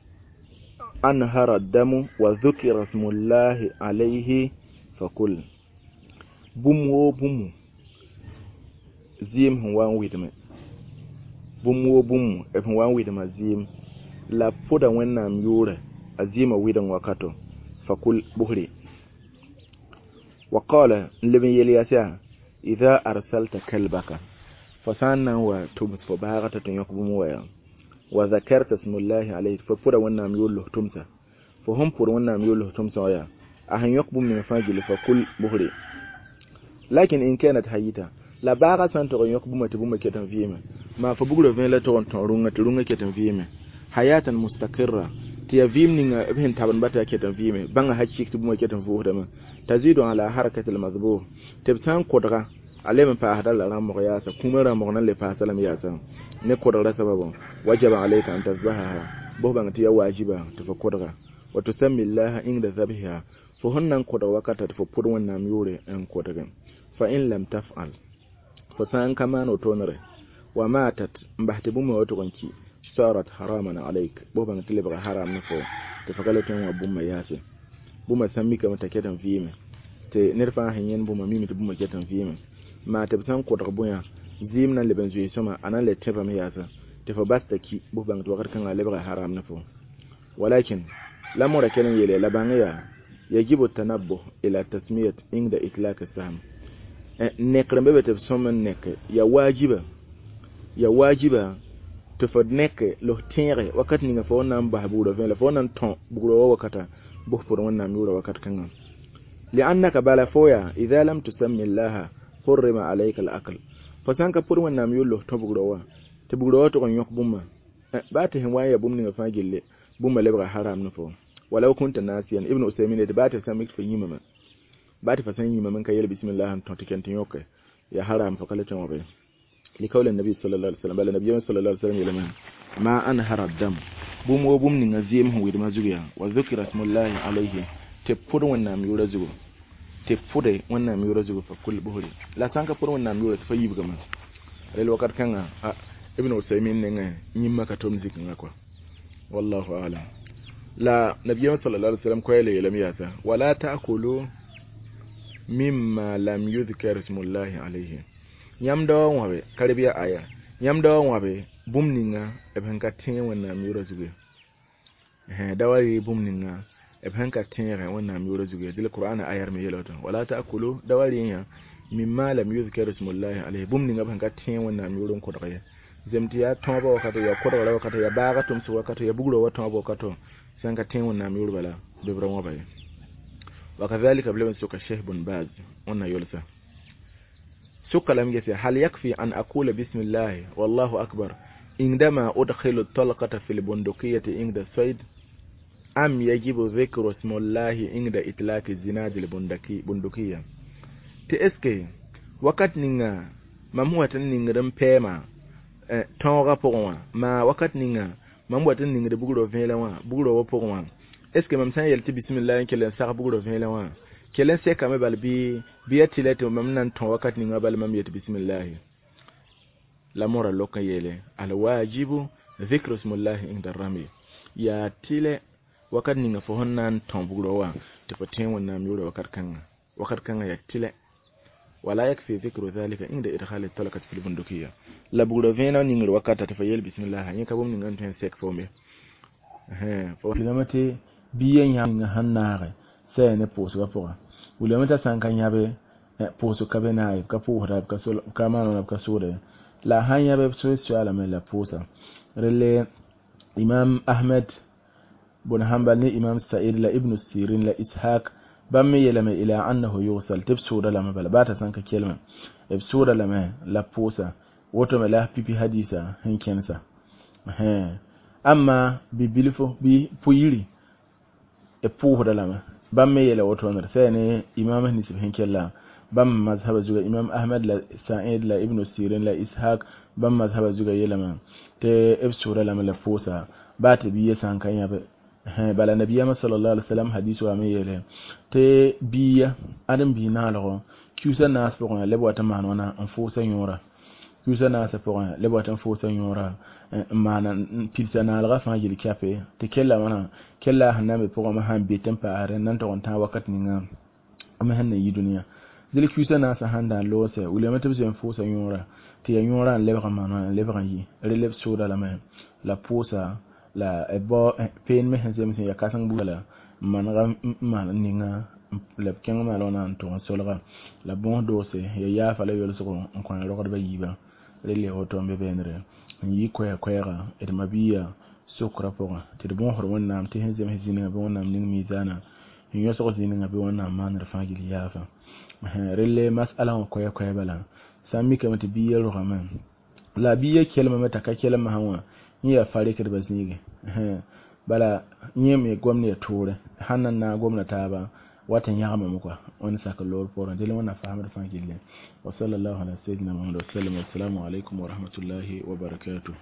أنهر الدم وذكر اسم الله عليه فكل بوم wo bũmb zɩɩm sẽn wa n wɩdme bũmb wo bũmb b sẽn wa n wɩdma zɩɩm la pʋda wẽnnaam yʋʋrɛ a zɩɩmã wɩdeng wakato fakul buhri وقال لمن يلياسا إذا أرسلت كلبك فسانا وتمس فباغة يقبم ويا وذكرت اسم الله عليه ففر ونام يوله تمسا فهم فر ونام يوله تمسا ويا أهن يقبم من فاجل فكل بهري لكن إن كانت هيتا لا باغة سانتو يقبم تبوم كتن فيما ما فبغل فين لا تون تورونga تورونga كتن فيما حياة مستقرة tɩ yaa vɩɩm ninga b sẽn tabend bata yaa ket n vɩɩme bãnga hakɩk tɩ bũmba ket n vʋʋsdame tazidu ala harakat almadbur tɩ b sã n kodga a leb n paasda la rãmbg yaasa kũumã rãmbg na n le paasa lame yaasa ne kodgrã sababã wajaba alayka an tasbahaha bʋs bãng tɩ yaa waajiba tɩ fo kodga wa tusammi llaha inda zabhiha fo sẽn na n kodg wakata tɩ fo pʋd wẽnnaam yʋʋre n kodge fa in lam tafal fo sã n ka maan wotoonere wa matat n bas tɩ bũmba wa tʋg n ki صارت حراما عليك بوبا تلبغ حرام نفو تفقلت وبوما ياسي بوما سميك متكتن فيما تي نرفع هين بوما ميمي تبوما كتن فيما ما تبسان قدر بويا زيمنا لبنزوي سما انا لتبا مياسا تفباستكي بوبا توقر كان لبغ حرام نفو ولكن لا مرة يلي لبانيا يجب التنبه الى تسمية عند اطلاق السهم نقرن بيبت بسوم نك يا واجبة يا واجبة tɩ fo nek la f tẽege wakat ninga fo na n bas bugrã vẽ la fo na n tõ bugrã wa wakata bʋs pʋd wẽnnaam yʋʋra wakat kãngã liannaka bala fo yaa idha lam tusammi llaha hurrima alayka alakl fo sã n ka pʋd wẽnnaam yʋʋr la f tõ bugrã wa tɩ bugrã wa tʋg n yõk bũmba baa tɩ sẽn wa n yaa bũmb ninga fãa gille bũmba lebga haram ne fo walaw kunta nasiyan Ibn Usaymin tɩ baa tɩ f sã n mik tɩ fo yĩmame baa tɩ fo sã n yĩmame n ka yel bismillah n tõ tɩ ken tɩ yõke yaa haram fo ka le tõe wã be لقول النبي صلى الله عليه وسلم بل النبي صلى الله عليه وسلم يلمن ما أنهر الدم بوم وبوم نغزيم هو يدما وذكر اسم الله عليه تفور ونام يورزغو تفور ونام يورزغو فكل بهري لا سانك فور ونام يورز فيب كما الوقت كان ابن عثيمين نغا نيما كتوم زيكنا كوا والله أعلم لا نبي صلى الله عليه وسلم كويل يلم ياسا ولا تأكلوا مما لم يذكر اسم الله عليه yãmb daoã wãbe ka-rɩbya aya yãmb daoã wãbe bũmb ninga b sẽn ka tẽeg wẽnnaam yʋʋrã zugu ye da wa yɩ bũmb ninga b sẽn ka tẽegã wẽnnaam yʋʋrã zugu ye dɩl qur'ana ayar me yeela woto wala ta'kulu da wa rẽ yã mimma lam yuzkar ismullahi alayhi bũmb ninga b sẽn ka tẽeg wẽnnaam yʋʋr n kodg ye Zem tɩ yaa tõoba wakato, yaa kodgra wakato, yaa baaga tʋmsg wakato, yaa bugrã wa tõob wakato, sãn ka tẽ Wẽnnaam yʋʋr bala bɩ b ra wãba ye. Wakadhalika b leb n soka Sheikh bun Baz wẽnna yolsa soka lame gese hal yakfi an aqula bismillahi wallahu akbar indama udkhilu talqata fi lbundukiyati inda sayd am yajibu dhikru smullahi inda itlaqi zinadi lbundukiya? Tɩ eske wakat ninga mam wat n ningd n pɛɛma tõogã pʋgẽ wã, maa wakat ninga mam wat n ningd bugrã vẽelẽ wã, bugrã wã pʋgẽ wã, est ce que mam sã n yel tɩ bismillah n kell n sag bugrã vẽelẽ wã kell n sɛkame bal bɩ ya tɩlɛ tɩ mam na n tõ wakat ninga bala mam yet bismillahi? La mora lok n yeele alwajibu dhikru smullahi inda rami, yaa tɩlɛ wakat ninga fo sẽn na n tõ bugrã wã tɩ fo tẽ Wẽnnaam yʋʋra wakat kãngã yaa tɩlɛ. Wala yakfi dhikru dhalika inda idkhali talqati fi lbundukiya, la bugrã vẽenã ningr wakata tɩ fo yel bismillah yẽ ka bũmb ninga n tõe n sɛk foome. Wilame tɩ bia yã sẽn naage sɛ ne pʋʋsgã pʋgã, wilame t'a sã n ka yãbe pʋʋsg ka be naag, b ka pʋʋsda, b ka maan b ka sʋʋda, la a sãn yãbe b soalame la pʋʋsa. Rele Imam Ahmed bun Hanbal ne Imam Sa'id la Ibn Sirin la Ishaq bãmb me yeelame ila annahu yugsal, tɩ b sʋʋda lame bala baa t'a sãn ka kelme b sʋʋda lame la pʋʋsa, woto me la pipi hadisa sẽn kẽnsa. Amma bi-bilfo bɩ pʋ-yiri b pʋʋsda lame, bãmb me yeela woto sɛ ne imam nisb sẽn kella bãmb mazhaba zuga, Imam Ahmed la Sa'id la Ibn Sirin la Ishaq bãmb mazhaba zuga yeelame tɩ b sʋʋda lame la pʋʋsa baa tɩ bia sã n ka yãbe. Bala nabiyama sallallahu alaihi wasallam hadis wa me yeele tɩ bia ãdem bii naalgo kiusa naas pʋgẽ leb wat n maan wãna n fʋʋsa yõora, kiusa naasã pʋgẽ leb wat n fʋʋsa yõora n maana n pilsa naalgã fãa yel kɛpe tɩ kella wãna kella sẽn na n be pʋgẽ me sãn be tɩ n paasdẽ n na n tog n tãag wakat ninga m sẽn na yi dũniyã. Dẽl kiusa naasã sãn da n loose wilame tɩ b zoe n fʋʋsa yõora tɩ yaa yõorã n lebg n maan wãna n lebg n yi rel b sʋʋda lame la pʋʋsa la bao peen me sẽn zems n yaa kãseng buda la n manega n maan n ninga la b kẽng maal wãna n tʋg n solga la bõos doose ya yaafa la yolsgo n kõ rogdbã yiibã rel ya woto n be beenre n yi koɛɛ-koɛɛga d mabiya sokrã pʋgẽ tɩ d bõosd Wẽnnaam tɩ sẽn zems zĩnigã bɩ Wẽnnaam ning miizaanã n yõsg zĩnigã bɩ Wẽnnaam maanr fãa gill yaafa. Relle masala wã koɛɛ-koɛɛ bala sã n mikame tɩ bia rogame la bia kelmame t'a ka kelm masã wã yẽ yaa farɩkdbã zĩige, bala yẽ me gomd ya toore sãn na n naag gomda taaba wat n yãgmame koa wẽnd sak loor poorẽ dẽl Wẽnnaam faamd fãa gilli. Wa sallallahu ala sayyidina Muhammad wa sallam. Assalamu alaikum wa rahmatullahi wa barakatuh.